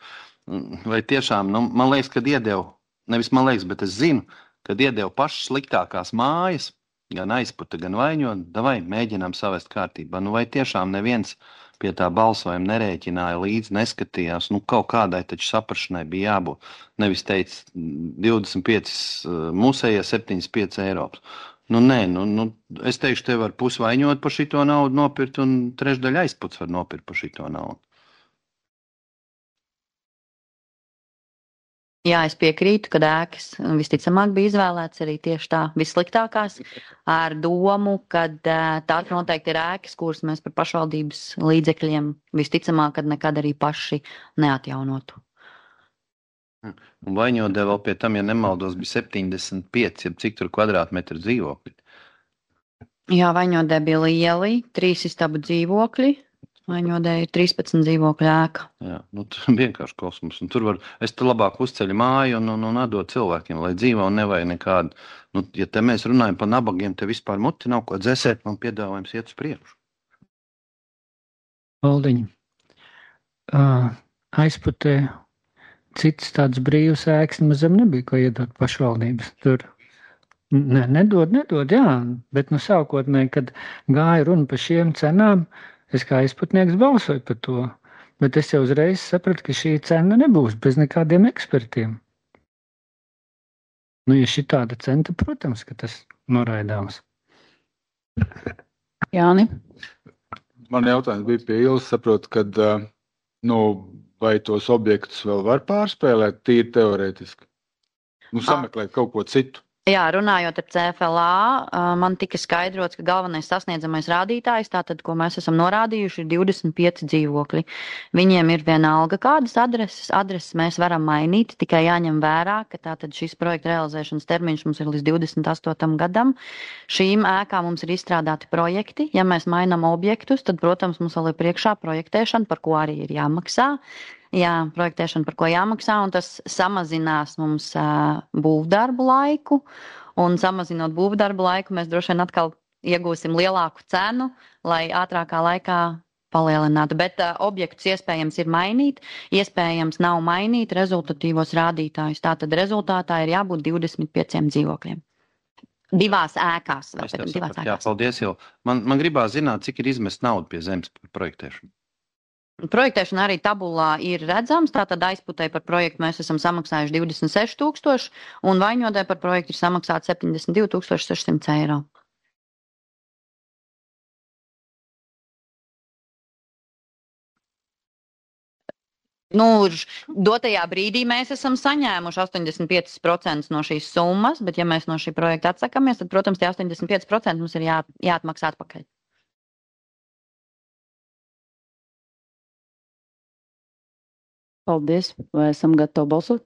Vai tiešām, man liekas, kad iedevu, nevis man liekas, bet es zinu, kad iedevu pašas sliktākās mājas, gan aizputa, gan Vaiņoda, davai mēģinām savest kārtībā. Vai tiešām neviens pie tā balsojuma nerēķināja līdzi, neskatījās, kaut kādai taču saprašanai bija jābūt. Nevis teica 25 musējie, 75 Eiropas. Es teikšu, te var pusvaņot par šito naudu nopirkt un trešdaļa aizputs var nopirkt par šito naudu. Jā, es piekrītu, ka ēkas visticamāk bija izvēlēts arī tieši tā vissliktākās ar domu, ka tās noteikti ir ēkas, kuras mēs par pašvaldības līdzekļiem visticamāk, kad nekad arī paši neatjaunotu. Un Vaņodē vēl pie tam, ja nemaldos, bija 75, cik tur kvadrātmetru dzīvokļi. Jā, Vaņodē bija lieli, 3 istabu dzīvokļi. Vaņodē ir 13 dzīvokļu ēka. Jā, tur vienkārši kosmos. Un tur es te labāk uzceļu māju un atdot cilvēkiem, lai dzīvo un nevajag nekādu. Ja te mēs runājam par nabagiem, te vispār muti nav ko dzēsēt, man piedāvājums iet uz priekšu. Valdiņ, Aizputē cits tāds brīvs ēkas mazam nebija, ko iedot pašvaldības. Tur nedod, jā, bet sākotnēji, kad gāja runa par šiem cenām, es kā aizputnieks balsoju par to, bet es jau uzreiz sapratu, ka šī cena nebūs bez nekādiem ekspertiem. Ja šī tāda cena, tad, protams, ka tas noraidāms. Jāni? Man jautājums bija pie Ilas, saprotu, kad, vai tos objektus vēl var pārspēlēt tīri teorētiski? Sameklēt kaut ko citu. Jā, runājot ar CFLA, man tika skaidrots, ka galvenais sasniedzamais rādītājs, tātad, ko mēs esam norādījuši, ir 25 dzīvokļi. Viņiem ir vienalga kādas adreses mēs varam mainīt, tikai jāņem vērā, ka tātad šis projekta realizēšanas termiņš mums ir līdz 28. gadam. Šīm ēkām mums ir izstrādāti projekti. Ja mēs mainām objektus, tad, protams, mums vēl ir priekšā projektēšana, par ko arī ir jāmaksā. Jā, projektēšana, par ko jāmaksā, un tas samazinās mums būvdarbu laiku, un samazinot būvdarbu laiku, mēs droši vien atkal iegūsim lielāku cenu, lai ātrākā laikā palielinātu. Bet objektus iespējams ir mainīt, iespējams nav mainīt rezultatīvos rādītājus. Tātad rezultātā ir jābūt 25 dzīvokļiem. Divās ēkās. Jā, paldies, jau. Man gribās zināt, cik ir izmest naudu pie zemes projektēšanu. Projektēšana arī tabulā ir redzams, tātad Aizputē par projektu mēs esam samaksājuši 26 000 un Vaņodē par projektu ir samaksāt 72 600 eiro. Dotajā brīdī mēs esam saņēmuši 85% no šīs summas, bet ja mēs no šī projekta atsakamies, tad, protams, tie 85% mums ir jāatmaksā atpakaļ. Paldies. Vai esam gatavi balsot?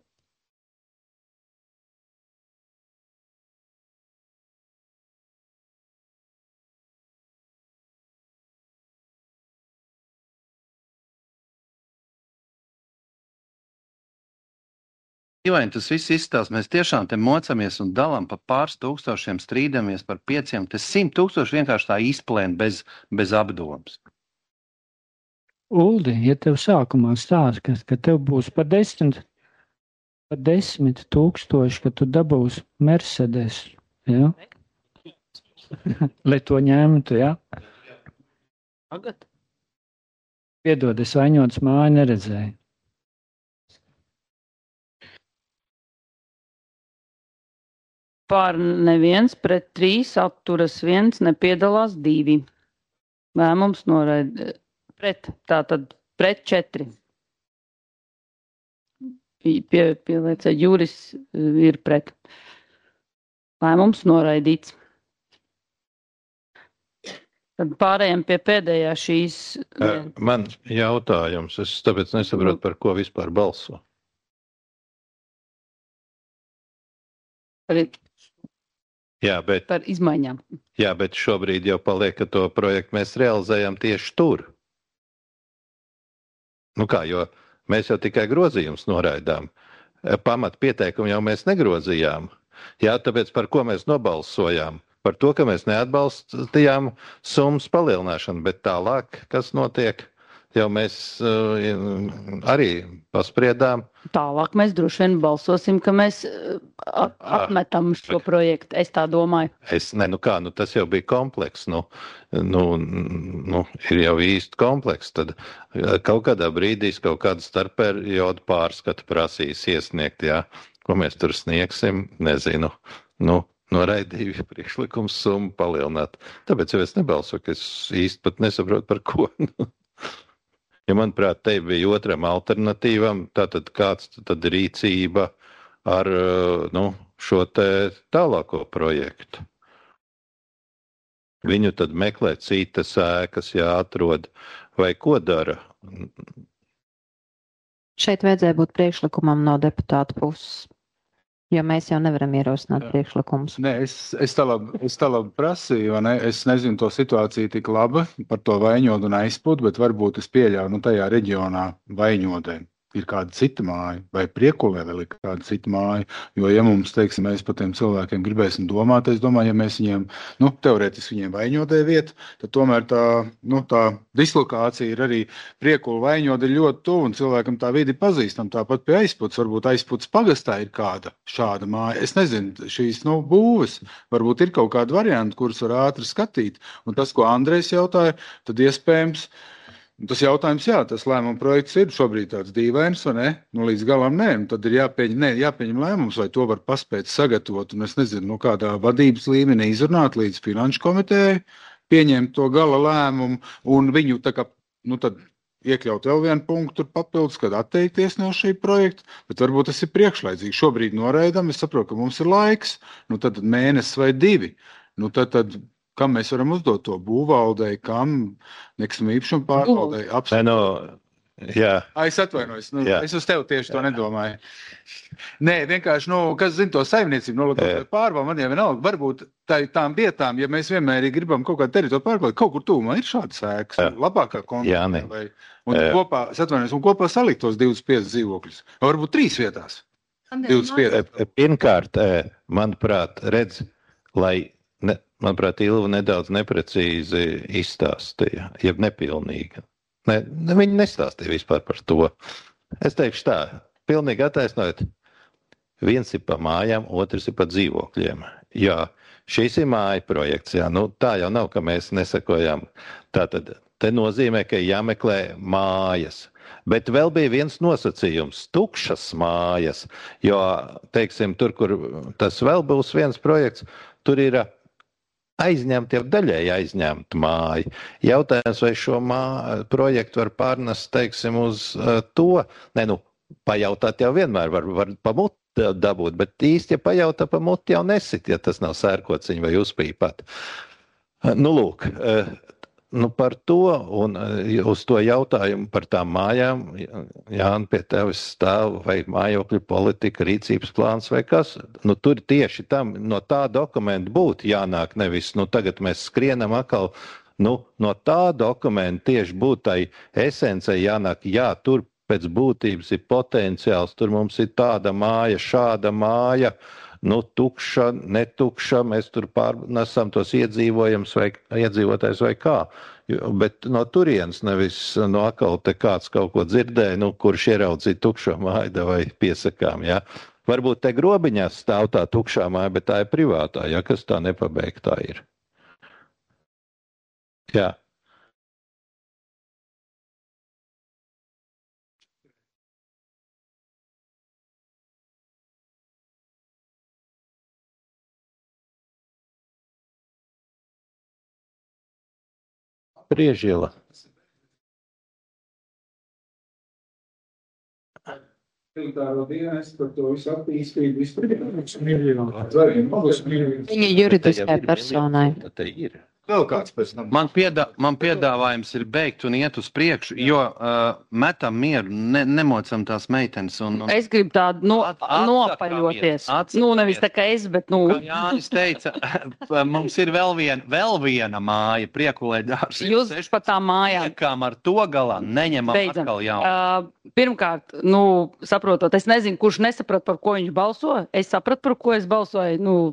Dīvaini, tas viss izstāsta. Mēs tiešām te mocamies un dalām pa pāris tūkstošiem, strīdamies par 5. Tas 100 000 vienkārši tā izplēn bez apdomas. Uldi, ja tev sākumā stāsta, ka tev būs par 10 000, ka tu dabūsi Mercedes, ja? Lai to ņemtu, ja? Tagad? Piedod, es Vaņodas māju neredzēju. Pār neviens, pret 3 atturas 1, nepiedalās 2. Lēmums noraida. Tātad pret 4. Pieliecē Juris ir pret. Lēmums noraidīts. Tad pārējām pie pēdējā šīs. Man jautājums, es tāpēc nesaprotu, par ko vispār balso. Par izmaiņām. Jā, bet šobrīd jau paliek, ka to projektu mēs realizējam tieši tur. Jo mēs jau tikai grozījumus noraidām. Pamat pieteikumu jau mēs negrozījām. Jā, tāpēc par ko mēs nobalsojām? Par to, ka mēs neatbalstījām summas palielināšanu, bet tālāk, kas notiek, jau mēs arī paspriedām. Tālāk mēs droši vien balsosim, ka mēs atmetam šo projektu. Es tā domāju. Tas jau bija kompleks. Ir jau īsti kompleks. Tad kaut kādā brīdī kaut kādu starpperiodu pārskatu prasīs iesniegt, jā. Ko mēs tur sniegsim, nezinu. noraidīju priekšlikums summu palielināt. Tāpēc jau es nebalsoju, ka es īsti pat nesaprotu par ko. Ja manuprāt, te bija otram alternatīvam, tātad kāds tad rīcība ar šo te tālāko projektu. Viņu tad meklē citas ēkas, jāatrod, vai ko dara? Šeit vajadzēja būt priekšlikumam no deputāta puses, jo mēs jau nevaram ierosināt priekšlikumus. Nē, es tā labi prasīju, vai ne? Es nezinu to situāciju tik labi par to Vaņodu un Aizputu, bet varbūt es pieļauju, tajā reģionā Vaņodē ir kāda cita māja, vai Priekulē vēl ir kāda cita māja, jo, ja mums, teiksim, mēs par tiem cilvēkiem gribēsim domāt, es domāju, ja mēs viņiem, teorētiski viņiem Vaņodē vietu, tad tomēr tā dislokācija ir arī Priekula Vaņoda ir ļoti tuvu, un cilvēkam tā vidi pazīstam, tāpat pie Aizputs, varbūt Aizputs pagastā ir kāda šāda māja. Es nezinu, šīs, būves, varbūt ir kaut kāda varianta, kuras var ātri skatīt, un tas, ko Andrejs jautāja, tad iespējams, tas jautājums, jā, tas lēmuma projekts ir šobrīd tāds dīvains, vai ne? Līdz galam nē, tad ir jāpieņem lēmums, vai to var paspēt sagatavot, un es nezinu, kādā vadības līmenī izrunāt līdz finanšu komitejai, pieņemt to gala lēmumu, un viņu tad iekļaut vēl vienu punktu tur papildus, kad atteikties no šī projekta, bet varbūt tas ir priekšlaicīgi. Šobrīd noraidam, es saprotu, ka mums ir laiks, tad mēnesis vai 2, tad kam mēs varam uzdot to būvvaldei, kam nekustamā īpašuma pārvaldei apstākļi? Jā. Es atvainojos, es uz tevi tieši to nedomāju. Nē, vienkārši, kas zina to saimniecību, pārvaldu, man jau vienalga, varbūt tām vietām, ja mēs vienmēr gribam kaut kādu teritoriju pārvaldīt, kaut kur tūmā ir šāds ēkas, labākā kontekstā. Un kopā salikt tos 25 dzīvokļus. Varbūt 3 vietās. 25. Pirmkārt, manuprāt, manuprāt, Ilva nedaudz neprecīzi izstāstīja, jeb nepilnīgi. Viņi nestāstīja vispār par to. Es teikšu tā, pilnīgi attaisnojot, viens ir pa mājām, otrs ir pa dzīvokļiem. Jā, šis ir māja projekts, jā, tā jau nav, ka mēs nesakojām. Tātad, te nozīmē, ka jāmeklē mājas. Bet vēl bija viens nosacījums – tukšas mājas, jo, teiksim, tur, kur tas vēl būs viens projekts, tur ir aizņemta, jau daļēji aizņemta māja. Jautājums, vai šo projektu var pārnest, teiksim, uz to? Pajautāt jau vienmēr var pa muti dabūt, bet īsti, ja pajautā pa muti, jau nesit, ja tas nav sērkociņi vai uzpīpat. Lūk, par to un uz to jautājumu par tām mājām, Jāni, pie tevis stāv vai mājokļu politika, rīcības plāns vai kas. Tur tieši tam no tā dokumenta būtu jānāk, nevis, tagad mēs skrienam atkal, no tā dokumenta tieši būtu tai esencei jānāk, jā, tur pēc būtības ir potenciāls, tur mums ir tāda māja, šāda māja, tukša, netukša, mēs tur pārnesam tos iedzīvotājus vai kā. Bet no turienes nevis no atkal te kāds kaut ko dzirdēja, kurš ieraudzīja tukšo māju vai piesakām, jā. Varbūt te grobiņās stāv tā tukšā māja, bet tā ir privātā, ja kas tā nepabeigtā ir. Jā. Priežiela. Militāro dienestu par to visu attīstību, Viņa juridiskai personai. Vēl kāds pēc tam. Man piedāvājums ir beigt un iet uz priekšu, jo metam mieru, nemocam tās meitenes. Es gribu tādu nopaļoties. Nevis tā kā es, bet Kā Jānis teica, mums ir vēl viena māja, Priekulē dārs. Jūs pa tām mājām. Liekām ar to galā, neņemam atkal jaunu. Pirmkārt, saprotot, es nezinu, kurš nesaprat, par ko viņš balso. Es sapratu, par ko es balsoju,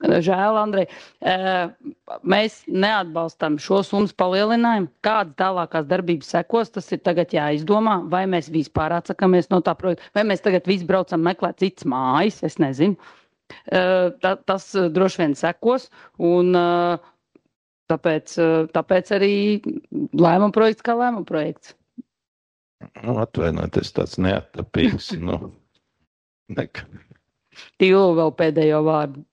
žēl, Andrej. Mēs neatbalstam šo summas palielinājumu. Kādas tālākās darbības sekos, tas ir tagad jāizdomā, vai mēs vispār atsakamies no tā projekta, vai mēs tagad visi braucam meklēt citas mājas, es nezinu. Tas droši vien sekos, un tāpēc arī lēmuma projekts kā lēmuma projekts. Atvainoties tāds neattapīgs, Tīlu vēl pēdējo vārdu.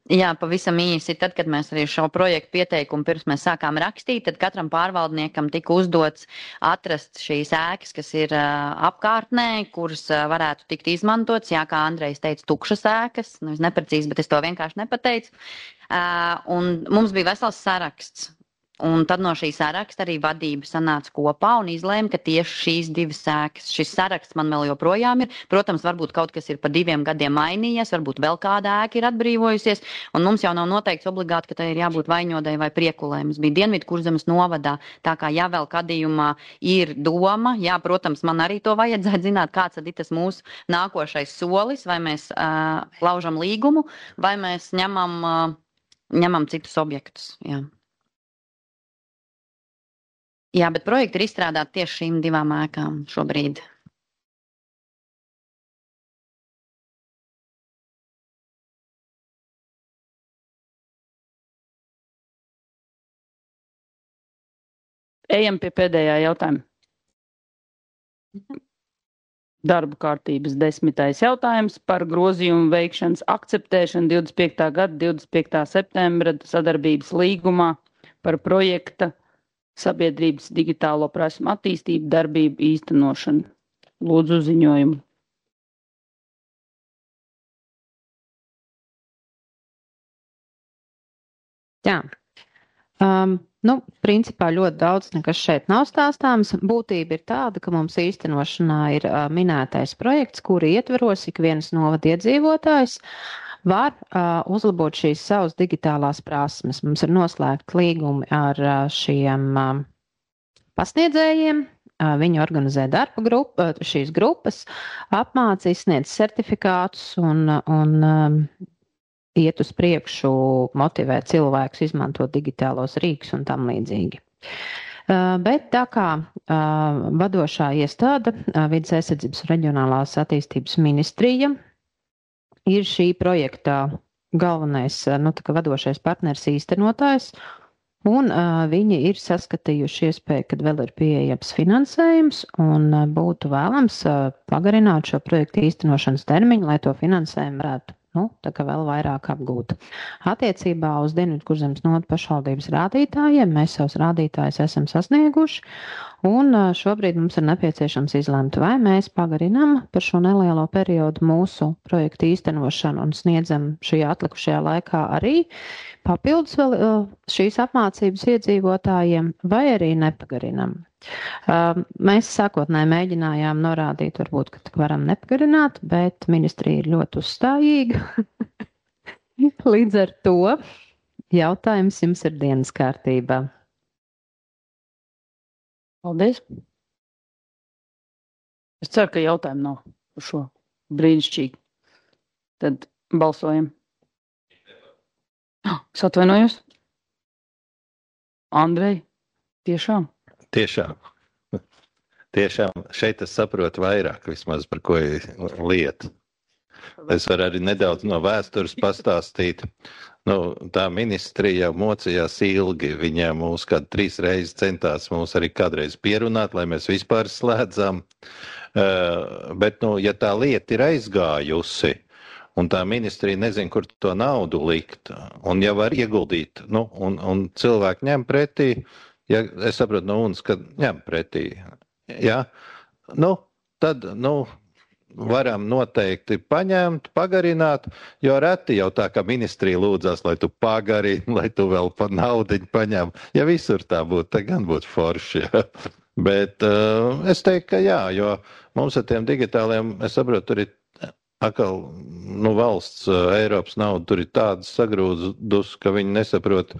Jā, pavisam īsi. Tad, kad mēs arī šo projektu pieteikumu pirms mēs sākām rakstīt, tad katram pārvaldniekam tika uzdots atrast šīs ēkas, kas ir apkārtnē, kuras varētu tikt izmantotas. Jā, kā Andrejs teica, tukšas ēkas, neprecīzi, bet es to vienkārši nepateicu. Un mums bija vesels saraksts. Un tad no šī saraksta arī vadība sanāca kopā un izlēma, ka tieši šīs divas ēkas, šis saraksts man vēl joprojām ir. Protams, varbūt kaut kas ir pa 2 gadiem mainījies, varbūt vēl kāda ēka ir atbrīvojusies, un mums jau nav noteikts obligāti, ka tai ir jābūt Vaņodai vai Priekulē. Mums bija Dienvidkurzemes novadā, tā kā ja vēl gadījumā ir doma, jā, protams, man arī to vajadzētu zināt, kāds tad ir tas mūsu nākošais solis, vai mēs laužam līgumu, vai mēs ņemam citus objektus, jā. Jā, bet projekti ir izstrādāti tieši šīm 2 ēkām šobrīd. Ejam pie pēdējā jautājuma. Darba kārtības 10. jautājums par grozījumu veikšanas akceptēšanu 25. gada 25. septembra sadarbības līgumā par projekta sabiedrības digitālo prasmu attīstību darbību īstenošanu. Lūdzu ziņojumu. Jā. Principā ļoti daudz nekas šeit nav stāstāms. Būtība ir tāda, ka mums īstenošanā ir minētais projekts, kuri ietveros ik viens novada iedzīvotājs var uzlabot šīs savas digitālās prasmes. Mums ir noslēgti līgumi ar šiem pasniedzējiem. Viņi organizē darba grupu, šīs grupas, apmāca, izsniedz certifikātus un iet uz priekšu, motivē cilvēkus izmantot digitālos rīkus un tam līdzīgi. Bet tā kā vadošā iestāde, Vides aizsardzības un reģionālās attīstības ministrija, ir šī projekta galvenais, vadošais partners īstenotājs, un viņi ir saskatījuši iespēju, kad vēl ir pieejams finansējums, un būtu vēlams pagarināt šo projektu īstenošanas termiņu, lai to finansējumu varētu vēl vairāk apgūt. Attiecībā uz Dienvidkurzemes novada pašvaldības rādītājiem mēs savus rādītājus esam sasnieguši, un šobrīd mums ir nepieciešams izlemt, vai mēs pagarinām par šo nelielo periodu mūsu projektu īstenošanu un sniedzam šajā atlikušajā laikā arī papildus vēl šīs apmācības iedzīvotājiem, vai arī nepagarinām. Mēs sākotnēji mēģinājām norādīt, varbūt, ka varam nepagarināt, bet ministrija ir ļoti uzstājīga. Līdz ar to jautājums jums ir dienas kārtībā. Paldies. Es ceru, ka jautājumu nav par šo brīnišķīgi. Tad balsojam. Es atvainojos. Andrej, tiešām? Tiešām šeit es saprotu vairāk vismaz par ko ir lieta. Es varu arī nedaudz no vēstures pastāstīt. Tā ministrija jau mocījās ilgi. Viņa mūs kādu 3 reizes centās mūs arī kādreiz pierunāt, lai mēs vispār slēdzam. Bet, ja tā lieta ir aizgājusi, un tā ministrija nezin, kur to naudu likt, un ja var ieguldīt, un cilvēki ņem pretī, ja es saprotu no UNS, ka ņem pretī, ja, tad, varam noteikti paņemt, pagarināt, jo reti jau tā, ka ministrija lūdzās, lai tu pagarini, lai tu vēl pa naudiņu paņem. Ja visur tā būtu, tad gan būtu forši, ja. Bet es teiktu, ka jā, jo mums ar tiem digitāliem, es saprotu, tur ir atkal, valsts Eiropas nauda tur ir tādas sagrūdus, ka viņi nesaprot,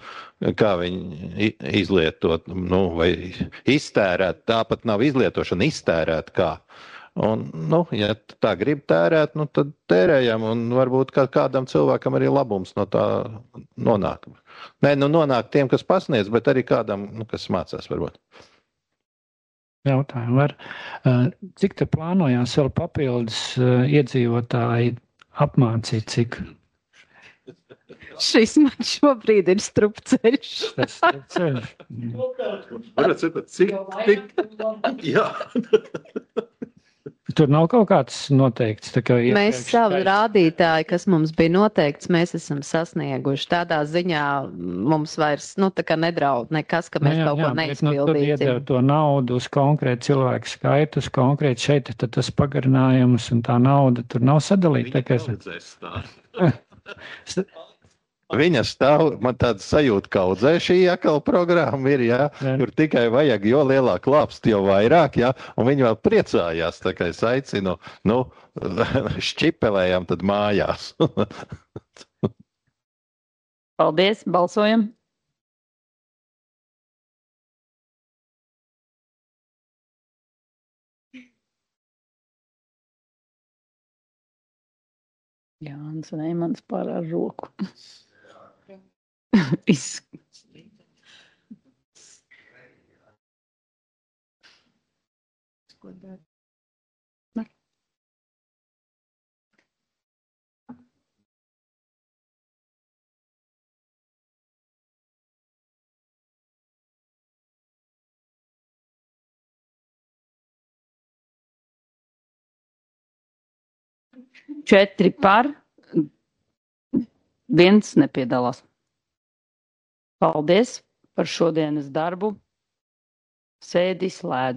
kā viņi izlietot, vai iztērēt. Tāpat nav izlietošana, iztērēt kā. Un, ja tā grib tērēt, tad tērējam, un varbūt kādam cilvēkam arī labums no tā nonāk. Nonāk tiem, kas pasniedz, bet arī kādam, kas mācās varbūt. Jautājumu var. Cik te plānojās vēl papildus iedzīvotāji apmācīt, cik? Šis man šobrīd ir strupceļš. Tas strupceļš. Varat saprast, cik? Jā. tur nav kaut kāds noteikts. Mēs savu rādītāju, kas mums bija noteikts, mēs esam sasnieguši. Tādā ziņā mums vairs, tā kā nedraud nekas, ka mēs kaut ko neizpildīsim. Tur iedeva to naudu uz konkrētu cilvēku skaitu, uz konkrētu šeit, tad tas pagarinājums un tā nauda tur nav sadalīta. Viņa stāv, man tāda sajūta, ka audzē šī atkal programma ir, jā, tur tikai vajag, jo lielāk lāpst, jo vairāk, jā, un viņi vēl priecājās, tā kā es aicinu, šķipelējām tad mājās. Paldies, balsojam! Jānis Reimans pār ar roku. Četri par, viens nepiedalās. Paldies par šodienas darbu. Sēdi slēdzu.